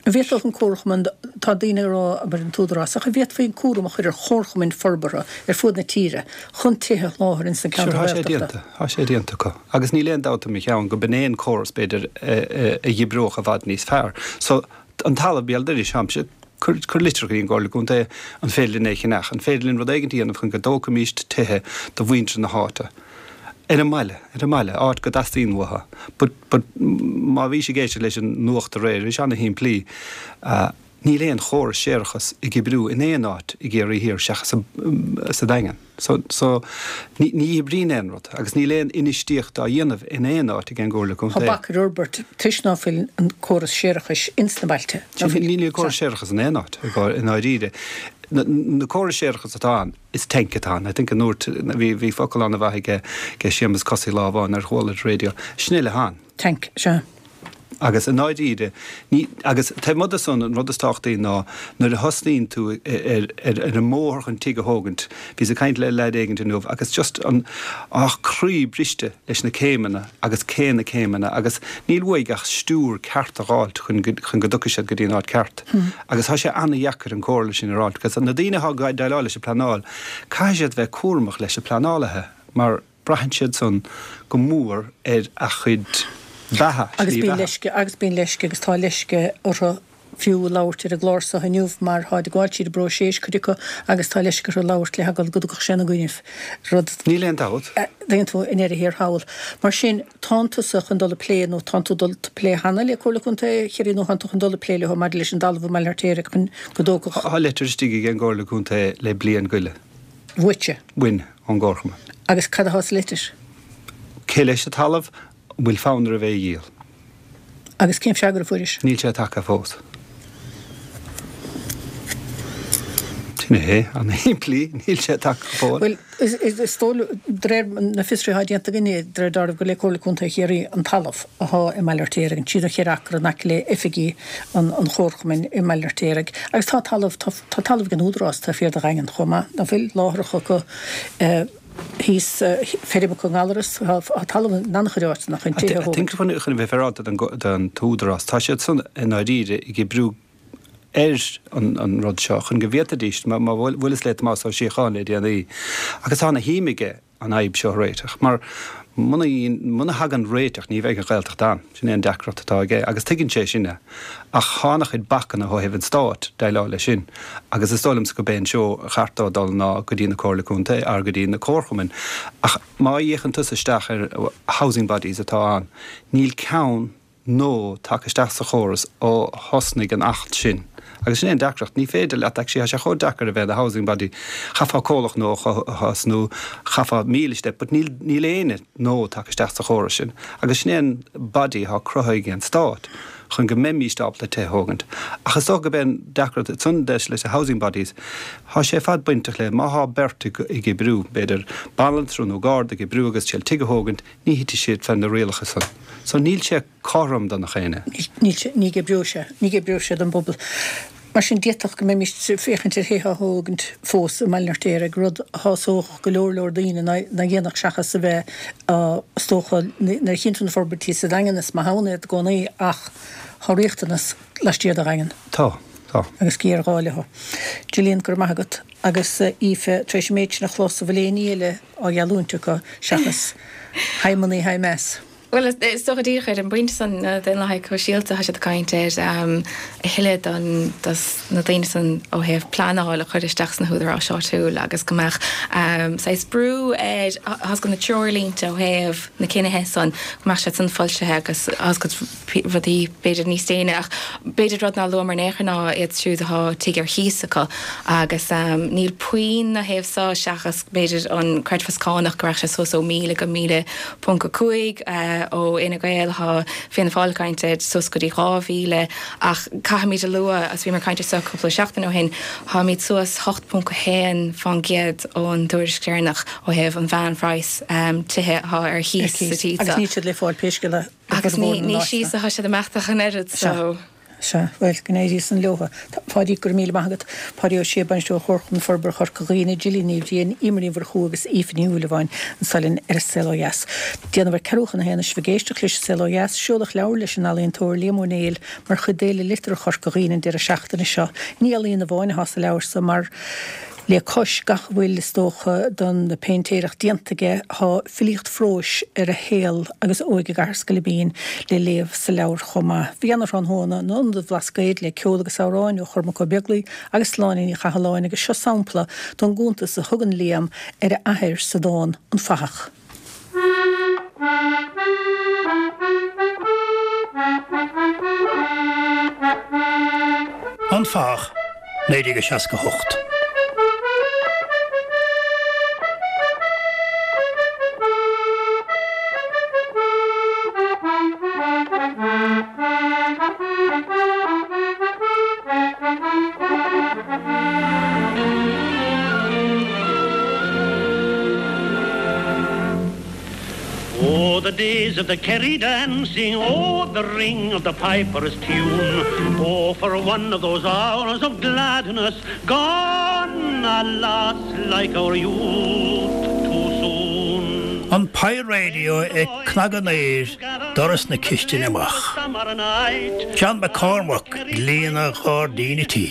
An bhféadfadh an comharchumann, tá daoine ag rá, abair an t-údarás, ach an bhféadfaí an cúram a chur ar chomharchumainn forbartha ar fud na tíre chun tithe a sholáthar ins na Sure, ceantair tá sé Ghaeltachta? déanta, tá sé déanta acu. Agus níl aon dabht i mo cheann go b'in é an córas, b'fhéidir, a dh'oibreodh i bhfad níos fearr. So, an talamh Béal Dorais, táimse, cuir, cuir litir chuig an gComhairle Contae, an féidir linn é a cheannach, an féidir linn rud éigint a dhéanamh chun go dtógfaimis tithe do mhuintir na háite. Ar an mbaile, ar an mbaile, áit go dteastaíonn uathu. But, but, má bhís ag éisteacht leis an nuacht aréir, bhí sé ana-shimplí. Níl aon chóras séarachais ag oibriú in aon áit i gCiarraí Thiar seachas sa Daingean. So, so, ní, ní oibríonn aon rud agus níl aon infheistíocht á dhéanamh in aon áit ag an gComhairle Tá Contae. bac ar fhorbairt toisc ná fuil an córas séarachais ins na bailte. Ná fuil. Níl córas séarachais in aon áit, i ndáiríre. Na, na córais séarachais atá ann, Is tank atá ann. I think an dúirt, bhí, bhí focal an-mhaith aige, aige Séamus Cosaí lá amháin ar chuala ar radio. Sin uile atá ann. Tank, sea. Agus i ndáiríre, ní, agus taobh amuigh de san, an rud is tábhachtaí ná nuair a thosnaíonn tú ar, ar, ar an mbóthar chun tigh a thógaint, bhíos ag caint le leaid éigint inniu agus just an, á croí briste leis na céimeanna agus cé na céimeanna agus níl uaidh ach stiúir ceart a dh'fháilt chun go, chun go dtiocfaidh siad go dtí an áit ceart. Agus tá sé an-dheacair an comhairle sin a fháilt because na daoine atá ag déileáil leis an pleanáil, caithfidh siad bheith cúramach leis na pleanálaithe mar braitheann siad san go mór ar a chuid beatha, Agus slí bíonn bheatha. leisce, agus bíonn leisce agus tá leisce orthu fiú labhairt ar an gclár seo inniu mar táid ag gabháil tríd an bpróiseas, cuid acu, agus tá leisce orthu labhairt le heagla go dtiocfadh sé ina gcoinnibh, rud. Níl aon dabht. a dtuigeann tú, i ndeireadh thiar thall. Mar sin, Tánn tusa chun dul ag plé, nó tánn tú dul ag plé cheana le Comhairle Contae Chiarraí nó tánn tú chun dul ag plé leo maidir leis an dtalamh i mBaile an Fheirtéaraigh chun go dtógfadh. Tá litir istigh ag an gComhairle Contae le bliain go leith. Uaitse? Uainn, ón gComharchumann. Agus cad atá sa litir? Cé leis an talamh? An bhfuil fonn oraibh é a dhíol? Agus cén freagra a fuairis? Níl sé tagtha fós. Sin é, an-shimplí, níl sé tagtha go fóill. Bhuel, is dóigh, de réir na fiosruithe atá déanta againne, de réir dealraimh gur le Comhairle Contae Chiarraí an talamh atá i mBaile an Fheirtéaraigh, an trí nó cheithre acra in aice le oifigí an Chomharchumainn i mBaile an Fheirtéaraigh. Agus tá talamh, tá talamh ag an Údarás taobh thiar de Dhaingean chomh maith, ná fuil, láithreacha acu. thíos, feirm acu i nGallaras, tá talamh in an-chuid áiteanna chun tithe a I think thógaint. chun a bheith féaráilte don t-údarás, tá siad san i ndáiríre ag oibriú ar an rud seo chun go bhféadfaidís, má bhuaileas le Tomás Ó Síocháin le déanaí, agus tá ana shuim aige an fhadhb seo a réiteach, mar muna muna thagann réiteach ní bheidh an Ghaeltacht ann. Sin é an deacracht atá aige agus tuigeann sé sin é. Ach tá ana-chuid bacanna ó thaobh an stáit déileáil leis sin agus is dóigh liomsa go b'é an seó a cheart dó dul ná go dtí na Comhairle Contae or go dtí na comharchumainn. Ach má fhéachann tusa isteach ar housing bodies atá ann, níl ceann nua tagtha isteach sa chóras ó thosnaigh an Acht sin. Agus sin é an deacracht, ní féidir leat, actually tá sé chomh deacair a bheith i do housing body, chaithfeá comhlacht nua a thosnú, chaithfeá 1,000 step, but níl, níl éinne nua tagtha isteach sa chóras sin. Agus sin é an body atá cruthaithe ag an Stát chun go mbeimíst ábalta tithe a thógaint. Ach is dócha go b'é an deacracht ansan leis na housing bodies, tá sé ar fad bainteach le, má thá beirt ag oibriú, b'fhéidir banaltra nó garda ag oibriú agus siad tigh a thógaint, ní thitfidh siad fé na rialacha san. So níl sé cothrom do nach éinne. Níl sé, ní oibreoidh sé, ní oibreoidh sé don bpobal. Mar sin, d'fhéadfadh go mbeimis ag féachaint ar thithe á thógaint fós i mBaile an Fheirtéaraigh, rud a shásódh go leor leor daoine ná a dhéanfadh seachas a bheith á, is dócha, nuair a chíonn tú na forbairtí sa Daingean, is maith ann iad i gcónaí ach tá riachtanas laistiar de Dhaingean. Tá, tá. Agus géarghá leo. Gillian, go raibh maith agat. Agus Aoife, tar éis an méid sin a chlos, an bhfuil aon ní eile á gheallúint acu seachas high money, high mass? Bhuel, is dócha díreach ar an bpointe san, na Daonlathaithe Sóisialta, tá siad ag caint ar a thuilleadh don dos na daoine san ó thaobh pleanáil a chur isteach sna húdaráis áitiúil agus go mbeadh saghas brú ar tá's agat na treoirlínte ó thaobh na cinnithe san, go mbeadh siad san foilsithe agus tá's agat rudaí b'fhéidir níos déine ach b'fhéidir rud nár luamar in aon chor ná iad siúd atá tigh ar chíos acu agus níl puinn ina thaobh so seachas b'fhéidir an creidmheas cánach go raghadh sé suas ó 1,000 go 1,000 .5, Ó Fhine Gael tá Fianna Fáil ag caint ar suas go dtí 2,000 ach caithfimid a lua, agus bhíomar ag caint ar seo cúpla seachtain ó shin, táimid suas 8.1 fán gcéad ón dtuairisc deireanach ó thaobh an mheánphraghas tithe atá ar chíos sa tír seo. Agus níl siad le fáil pé scéal é i bhformhór na n-áiteanna. Agus ní síos atá siad ag imeacht ach an oiread so. Sea, bhuel, go n-éirí san leotha. Páidí, go raibh míle maith agat. Páidí Ó Sé, Bainisteoir Chomharchumann Forbartha Chorca Dhuibhne, Gillian Ní Bhriain, Eimear Ní Mhurchú agus Aoife Ní Shúilleabháin anso linn ar An Saol Ó Dheas. Déanamh ar ceathrú chun a haon is sibh ag éisteacht leis An Saol Ó Dheas, seoladh leabhar leis an ealaíontóir Liam Ó Néill mar chuid d'Fhéile Liteartha Chorca Dhuibhne an deireadh seachtaine seo. Ní ealaíon amháin atá sa leabhar so mar Le cois gach a bhfuil, is dócha, don phéintéireacht déanta aige, tá filíocht phróis ar a shaol agus a óige i gCathair Scoilbín le léamh sa leabhar chomh maith. Bhí ana-thráthnóna in Ionad an Bhlascaoid le ceol agus amhráin ó Chormac Ó Beaglaoi agus Sláine Ní Chathalláin agus seo sampla don gcuntas a thugann Liam ar a athair sa dán 'An Fathach'. An Fathach, 1968. Oh, the days of the Kerry dancing, oh, the ring of the piper's tune. Oh, for one of those hours of gladness, gone, alas, like our youth too soon. An Pye Radio ag cnagadh an aeir doras na cistine amach. John McCormack ag líonadh gairdín an tí.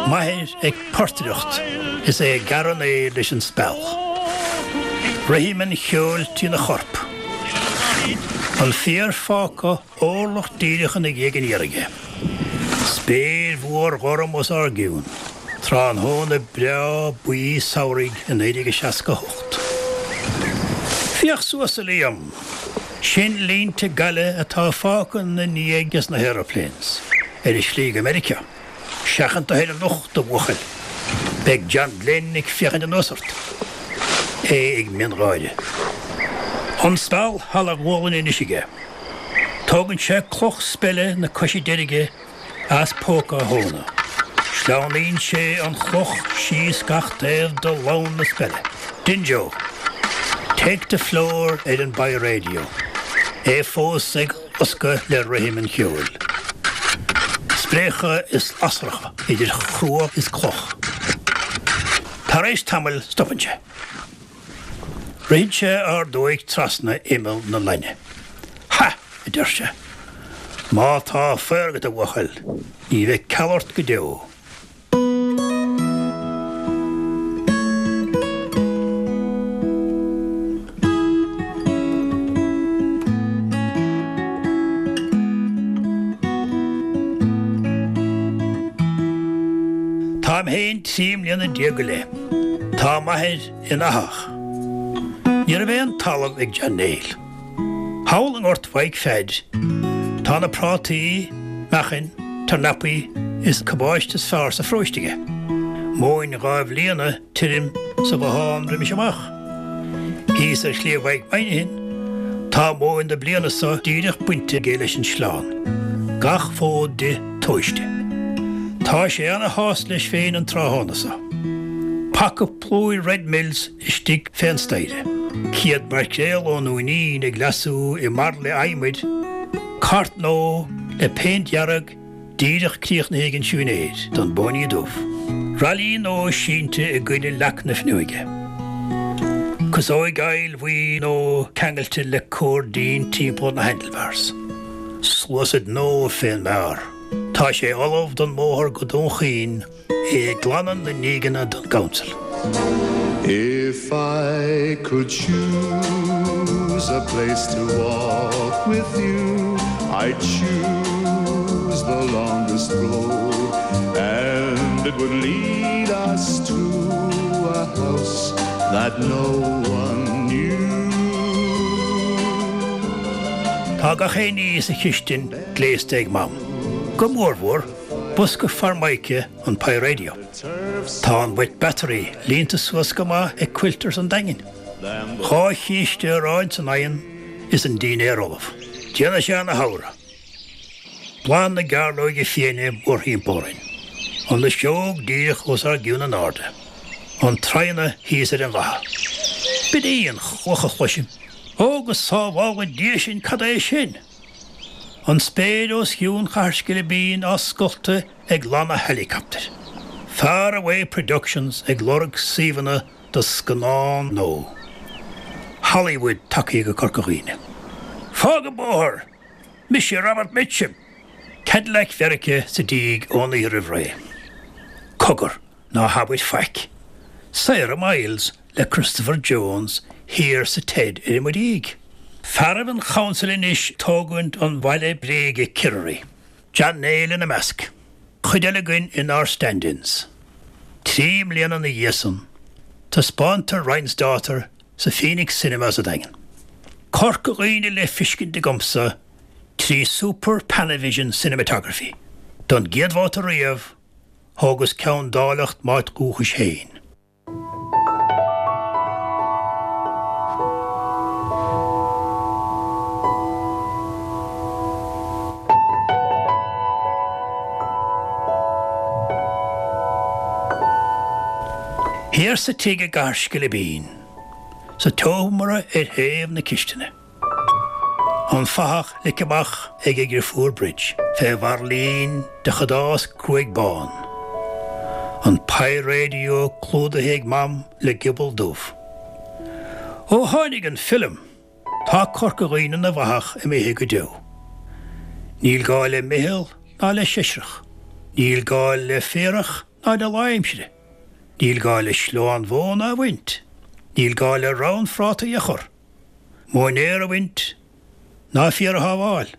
M'athair ag portaireacht is é ag gearradh an aeir leis an speal. Rithim an cheoil trína chorp. An féar fágtha orlach díreach ina dhiaidh aniar aige. Spéir mhór ghorm os ár gcionn. Tráthnóna breá buí samhraidh i 1968. Féach suas, a Liam! Sin línte gaile atá fágtha ina ndiaidh ag na haeroplanes ar a slí go Meiriceá. Seachain do thoir anocht, a bhuachaill. Beidh John Glenn ag féachaint anuas ort. É ag miongháire. An speal thall a ghualainn anois aige. Tógann sé cloch speile na coise deirge as póca a thóna. Sleamhnaíonn sé an chloch síos gach taobh de lann na speile. Dinjo! Take the floor ar an bPye Radio. É fós ag loscadh le rithim an cheoil. Spréacha is lasracha idir chruach is cloch. Tar éis tamaill stopann sé. Ritheann sé a ordóig trasna imeall na lainne. Ha! a deir sé. Má tá faobhar agat, a bhuachaill, ní bheidh ceal ort go deo. Táim féin 13 mbliana go leith. Tá m'athair ina fhathach. Ní raibh aon talamh ag John Néill. Thall i ngort Mhaidhc Pheaid tá na prátaí, meachain, tornapaí is cabáiste is fearr sa pharóiste aige. Móin dhá bhliana tirim sa bhothán roimis amach. Thíos ar Shliabh Mhaidhc Mhainighin tá móin na bliana so díreach bainte aige leis an sleán, gach fód di tomhaiste. Tá sé ana shásta leis féin an tráthnóna so. Paca plúir Red Mills istigh fén staighre. Céad maircréal ón Dúinín ag leasú i mbairille adhmaid, cairt nua le péint dhearg díreach críochnaithe ag an siúinéir don bPóiní Dubh. Raillí nua sínte i gcoinne leac na fuinneoige. Casóig aighill bhuí nua ceangailte le cóirdín timpeall na handlebars. Sluasaid nua fén mbeár. Tá sé ullamh don mbóthar go Dún Chaoin. É ag glanadh na ndígeanna don gCouncil. If I could choose a place to walk with you, I'd choose the longest road, and it would lead us to a house that no one knew. Tá gach aon ní sa chistin gléasta ag Mam. Go mórmhór, Bosca Formica an Pye Radio. Tá an wet battery líonta suas go maith ag Quilters an Daingin. Dhá chíste aráin san oigheann is an dínnéar ullamh. Déanfaidh sé ana shamhradh. Bláth na gcearlóige fiaine mórthimpeall orainn. An fhuiseog díreach os ár gcionn in airde. An Traona thíos ar an gcatha. B'in í an chloch a chloisim. Ó go sábhála Dia sinn cad é sin? An spéir os cionn Chathair Scilibín á scoltadh ag lanna helicopter. Far Away Productions ag lorg suíomhanna do scannán nua. Hollywood tagtha go Corca Dhuibhne. Fág an bóthar! Mise Robert Mitchum! Cadillac Mheiriceá sa díg ón oíche roimh ré. Cogar, ná habair faic. Sarah Miles le Christopher Jones thiar sa Ted ar mo dhiaidh. Fearaibh an Chouncil anois ag tógaint an bhaile bréige Kirrary. John Néill ina measc. Cuid eile againn inár stand-ins. 3 mbliana ina dhiaidh san, taispeántar Ryan's Daughter sa Phoenix Cinema sa Daingean. Corca Dhuibhne le fiscint agamsa 3 Super Panavision Cinematography. Don gcéad bhabhta riamh, thógas ceann d'áilleacht m'áit dhúchais féin. Thiar sa tigh i gCathair Scilibín, sa tseomra ar thaobh na cistine. An fathach ligthe amach ag a dhriofúr Bridge fé bhairillín de chadás cruaidh bán. An Pye Radio clúdaithe ag Mam le giobal dubh. Ó tháinig an film, tá Corca Dhuibhne ina bhfathach imithe go deo. Níl gá le meitheal ná le seisreach. Níl gá le féarach ná le lá aimsire. Níl gá le sleán mhóna a bhaint. Níl gá le rann phrátaí a chur. Móinéar a bhaint ná féar a shábháil.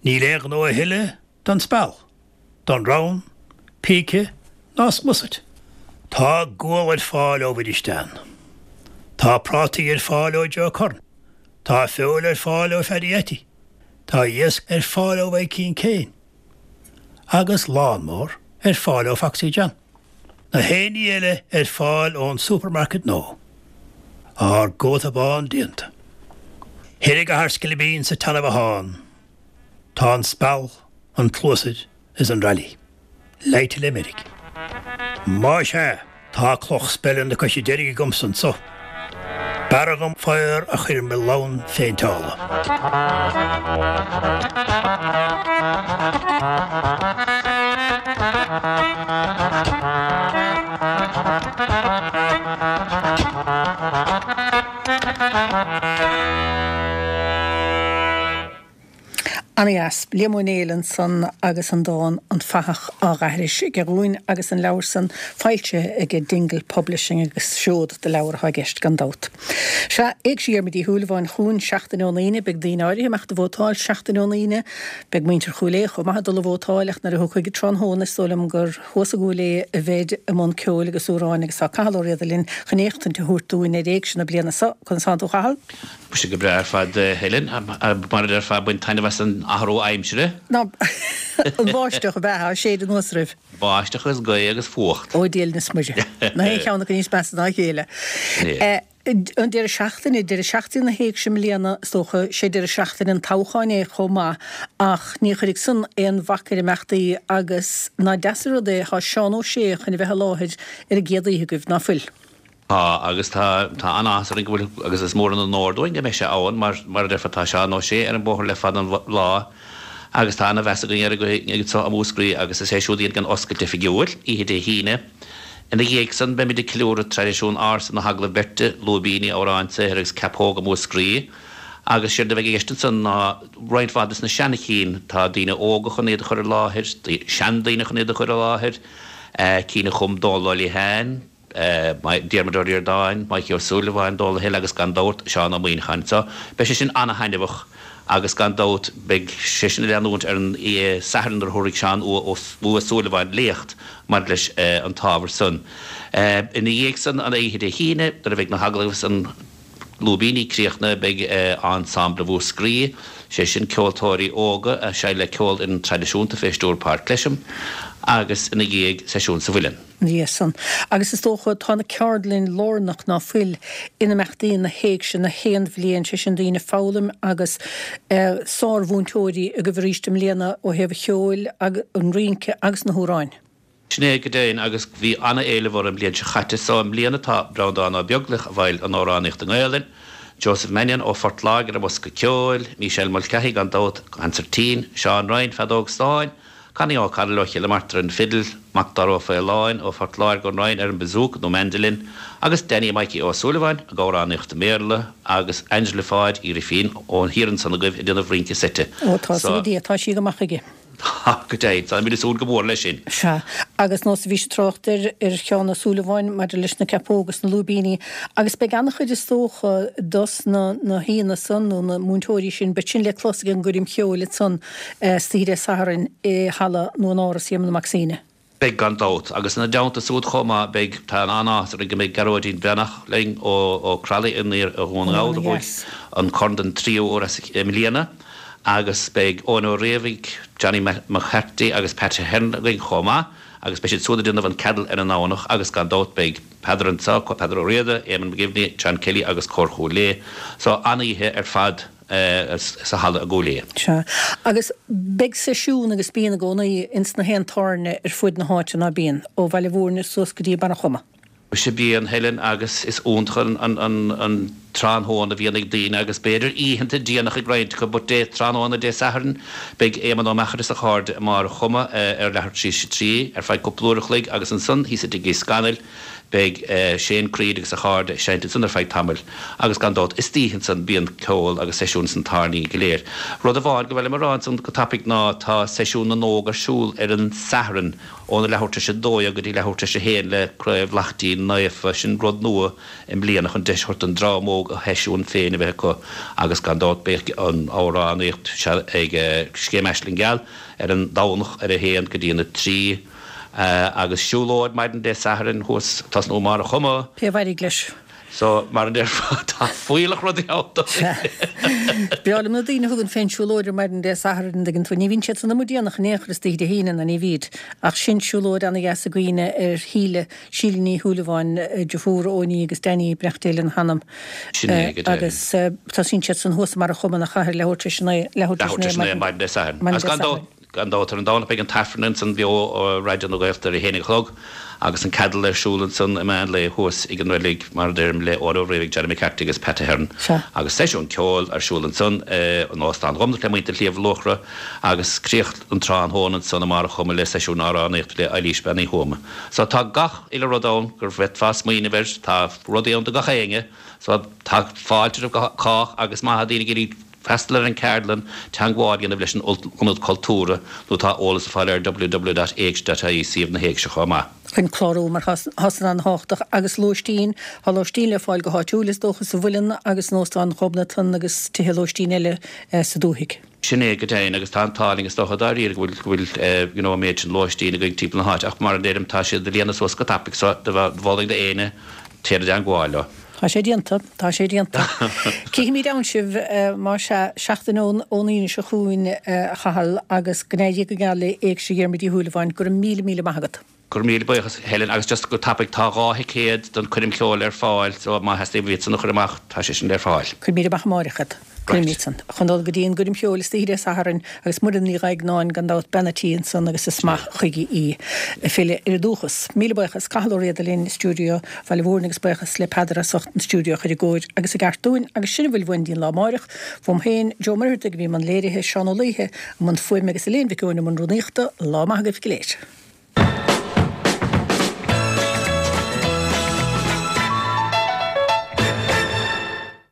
Níl aon ghnó a thuilleadh don speal, don rann, píce ná sclusaid. Tá gual ar fáil ó Mhuiris Dan. Tá prátaí ar fáil ó Joe Curran. Tá feoil ar fáil ó Phaddy Attie. Tá iasc ar fáil ó Mhaidhcín Kane. Agus lawnmower ar fáil ó Foxy John. Na haon ní eile ar fáil ón supermarket nua. Ár gcóta bán déanta. Thoir i gCathair Scilibín sa tseana-bhothán tá an speal, an cluasaid is an rally leáite le meirg. Más ea, tá cloch speile na coise deirge agamsa anso. B'fhearra dhom faobhar a chur i mo lann phéinteála. Ana-dheas. Liam Ó Néill ansan agus an dán 'An Fathach' á dh'aithris aige dhúinn agus an leabhar san foilsithe aige Dingle Publishing agus seod de leabhar atá i gceist gan dabht. Sea, Éigse Dhiarmuid Uí Shúilleabháin chugainn seachtain ón Aoine. Beidh daoine áirithe ag imeacht a vótáil seachtain ón Aoine. Beidh muintir Chúil Aodha chomh maith ag dul a vótáil ach nuair a thiocfaidh tráthnóna is dóigh liom gur thuas i gCúil Aodha a bheid i mbun ceoil agus amhráin agus tá Cathal Ó Riada linn chun éachtaint a thabhairt dúinn ar Éigse na bliana seo. Conas tánn tú a Chathail? Muise go breá ar fad, a Helen. Mar a déarfá, ag baint taitneamh as an athrú aimsire. Ná an bháisteach ab ea? Á séideadh anuas oraibh. Báisteach agus gaoth agus fuacht. Ó Dia linn is Muire. Nach aon cheann acu níos measa ná a chéile. An deireadh seachtaine, deireadh seachtaine na hÉigse i mbliana, is dócha, sé deireadh seachtaine an toghcháin é chomh maith, ach ní chuirfidh san aon bhac ar imeachtaí agus ná deas an rud é, tá Seán Ó Sé chun a bheith i láthair ar an gcéad oíche agaibh, ná fuil? Tá, agus tá, tá an-áthas orainn go bhfuil, agus is mór an onóir dúinn go mbeidh sé ann, mar, mar a déarfá, tá Seán Ó Sé ar an bóthar le fada an lá agus tá ana-mheas againn air anseo i Múscraí agus is é siúd a dhéanfaidh an oscailt oifigiúil, oíche Dé hAoine. Ina dhiaidh san, beimid ag ceiliúradh traidisiún ársa na hagallamh beirte, lúibíní, amhráin, saothair agus ceapóga Mhúscraí agus séard a bheidh i gceist ansan ná roinnt mhaith des na seana-chinn, tá daoine óga chun iad a chur i láthair, seandaoine chun iad a chur i láthair, cinn a chum Dónal Ó Liatháin, Diarmuid Ó Ríordáin, Maidhcí Ó Súilleabháin, Dónal Hill agus gan dabht Seán Ó Muíneacháin. So, beidh sé sin ana-thaitneamhach agus gan dabht beidh sé sin ag leanúint ar an Satharn nuair a thabharfaidh Seán Ua Súilleabháin léacht maidir leis an t-ábhar san. Ina dhiaidh san, an oíche Dé hAoine, nuair a bheidh na hagallaimh agus an lúibíní críochnaithe, beidh Ensemble Mhúscraí, sé sin ceoltóirí óga a seinnfidh le ceolfhoireann traidisiúnta fé stiúir Páirc Clesham agus ina dhiaidh seisiún sa Mhuileann. Dia san. Agus is dócha, tá na ceardlainn lárnach ná fuil in imeachtaí na hÉigse na haon bhliain, sé sin daoine ag foghlaim agus sár-mhúinteoirí agaibh arís i mbliana ó thaobh an cheoil, an rince agus na hamhráin. Sin é go deimhin agus bhí ana-éileamh orthu an bhliain seo chaite so i mbliana tá Breandán Ó Beaglaoich a bhfeighil an amhránaíocht i nGaelainn. Joseph Mannion ó Phort Láirge ar an bhosca ceoil, Michelle Mulcahy gan dabht, consairtín, Seán Ryan, feadóg stáin, Connie O'Connell ó Chill Martra ar an bhfidil, Macdara Ó Faoláin ó Phort Láirge ón Rinn ar an bpazúc nó mandolin agus Danny Mikey Ó Súilleabháin ag amhránaíocht i mBéarla agus Angela Pháid Uí Rifín ó thiar ansan agaibh ag déanamh rince seite. Ó tá súil Dia, tá sí go maith aige. Tá, go deimhin. Táimid ag súil go mór leis sin. Sea. Agus nós a bhís ag trácht ar, ar Sheán Ó Súilleabháin maidir leis na ceapóga is na lúibíní, agus beidh an-chuid is dócha dos na, na haíonna san, nó na múinteoirí sin, beidh sin le clos ag an gcoirm cheoil ansan istoíche Dé Sathairn i halla nó in Áras Éamonn Mac Suibhne. Beidh gan dabht. Agus ina dteannta súd chomh maith beidh, tá an-áthas orainn go mbeidh Gearóidín Breathnach linn ó ó Croithlí in iarthar Dhún na nGall a bhuaigh an corn den tríú huair as i mbliana agus beidh Eoin Ó Riabhaigh, Johnny McCarthy agus Pat Ahern againn chomh maith agus beidh siad súd ag déanamh an ceadal ar an nDomhnach agus gan dabht beidh Peadar anseo, Peadar Ó Riada, Éamonn McGivney, John Kelly agus Cór Chúil Aodha. So an-oíche ar fad. sa halla i gCúil Aodha. Sea. Agus beidh seisiún agus bíonn i gcónaí ins na haon tábhairne ar fuaid na háite, ná bíonn? Ó Bhaile Mhúirne suas go dtí Barr an Choma. Sea bíonn, Helen, agus is iontach an tráthnóna a bhíonn ag daoine agus b'fhéidir oícheanta déanach ag roinnt acu but Dé tráthnóna Dé Sathairn beidh Éamonn Ó Meachair is a chairde i mBarr an Choma ar leathuair tar éis a 3 ar feadh cúpla uair a chloig agus ansan thíos i dTigh Uí Scanaill Beidh Shane Creed agus a chairde ag seinnt ansan ar feadh tamaill agus gan dabht istoíche ansan bíonn ceol agus seisiún sna tábhairní go léir. Rud amháin gur mhaith liom a rá ansan go tapaidh ná tá seisiún na nÓg ar siúl ar an Satharn óna leathuair tar éis a 12 go dtí leathuair tar éis a haon le Craobh Laichtín Naofa. Sin rud nua i mbliana chun deis a thabhairt don dream óg a sheisiún féin a bheith acu agus gan dabht beidh an amhránaíocht ag Scéim Aisling Gheal ar an Domhnach ar a haon go dtí an 3. Agus siúlóid maidin Dé Sathairn thuas ag tosnú i mBarr a' Choma. Pé a mhairfidh leis. So, mar a déarfá, tá fuílleach rudaí ann do Sea. Breá liom na daoine a thugann fén siúlóid ar maidin Dé Sathairn, an dtuigeann tú. Ní bhíonn siad san amuigh déanach in aon chor istoíche Dé hAoine, ná ní bhíd. Ach sin siúlóid ana-dheas i gcuimhne ar Shíle, Síle Ní Shúilleabháin, deirfiúr Eoiní agus Danny, beannacht Dé lena hanam. Sin é, go deimhin. Agus tosaíonn siad san thuas i mBarr a' Choma, ina chathair, leathuair tar éis a naoi, leathuair tar éis a naoi maidin Dé Sathairn. Maidin Dé Sathairn. Gan dabht, ar an Domhnach beidh an tAifreann ansan beo ó Raidió na Gaeltachta ar a haon a chlog agus an ceadal ar siúl ansan i meán lae thuas ag an reilig, mar a deirim, le Eoin Ó Riabhaigh, Johnny McCarthy agus Pat Ahern agus seisiún ceoil ar siúl ansan in Óstán Dhomhnach le muintir Shliabh Luachra agus críoch an tráthnóna ansan i mBarr a' Choma le seisiún amhránaíochta le Eilís Bean Uí Thuama. So tá gach uile rud ann gur bhféadfá smaoineamh air, tá rudaí ann do gach éinne, so tá fáilte roimh cách agus má tá daoine ag iarraidh Freastal ar an cheardlann, teagmháil a dhéanamh leis an Ionad Cultúrtha nó tá eolas ar fáil ar www.éigse.ie, suíomh na hÉigse chomh maith. chun clárú mar tá san an-tábhachtach agus lóistín, tá lóistín le fáil go háitiúil is dócha sa Mhuileann agus in Óstán Ghobnatan agus tithe lóistín eile sa dúthaigh. Sin é go deimhin agus tá an t-ádh linn is dócha dáiríre go bhfuil go bhfuil you know an méid sin lóistín againn timpeall na háite ach mar a deirim tá siad ag líonadh suas go tapaidh so mholfainn d'éinne téir i dteangmháil leo. Tá sé déanta, tá sé déanta. Cífimid ann sibh, más ea, seachtain ón Aoine seo chugainn, a Chathail, agus go n-éirí go geal le Éigse Dhiarmuid Uí Shúilleabháin. Go raibh míle, míle maith agat. Go raibh míle buíochas, Helen, agus just go tapaidh, tá 2 thicéad don choirm cheoil ar fáil, so má theastaíonn uait iad san a chur amach, tá sé sin ar fáil. Cuirfimid amach amáireach iad. Cuirfimid san. Chun dul go dtí an gcoirm cheoil istoíche Dé Sathairn agus Muireann Ní Dhaighneáin gan dabht bean a' tí ansan agus is maith chuige í ag filleadh ar a dúchas. Míle buíochas Cathal Ó Riada linn i stiúideo Bhaile Mhúirne agus buíochas le Peadar as ucht an stiúideo a chur i gcóir agus i gceart dúinn agus sin a bhfuil uainn dtí'n lá amáireach. Uaim féin, Joe Muircheartaigh a bhí i mbun léirithe, Seán Ó Laoithe i mbun fuaime agus Elaine Mhic Eoin i mbun rúnaíochta. Lá maith agaibh go léir.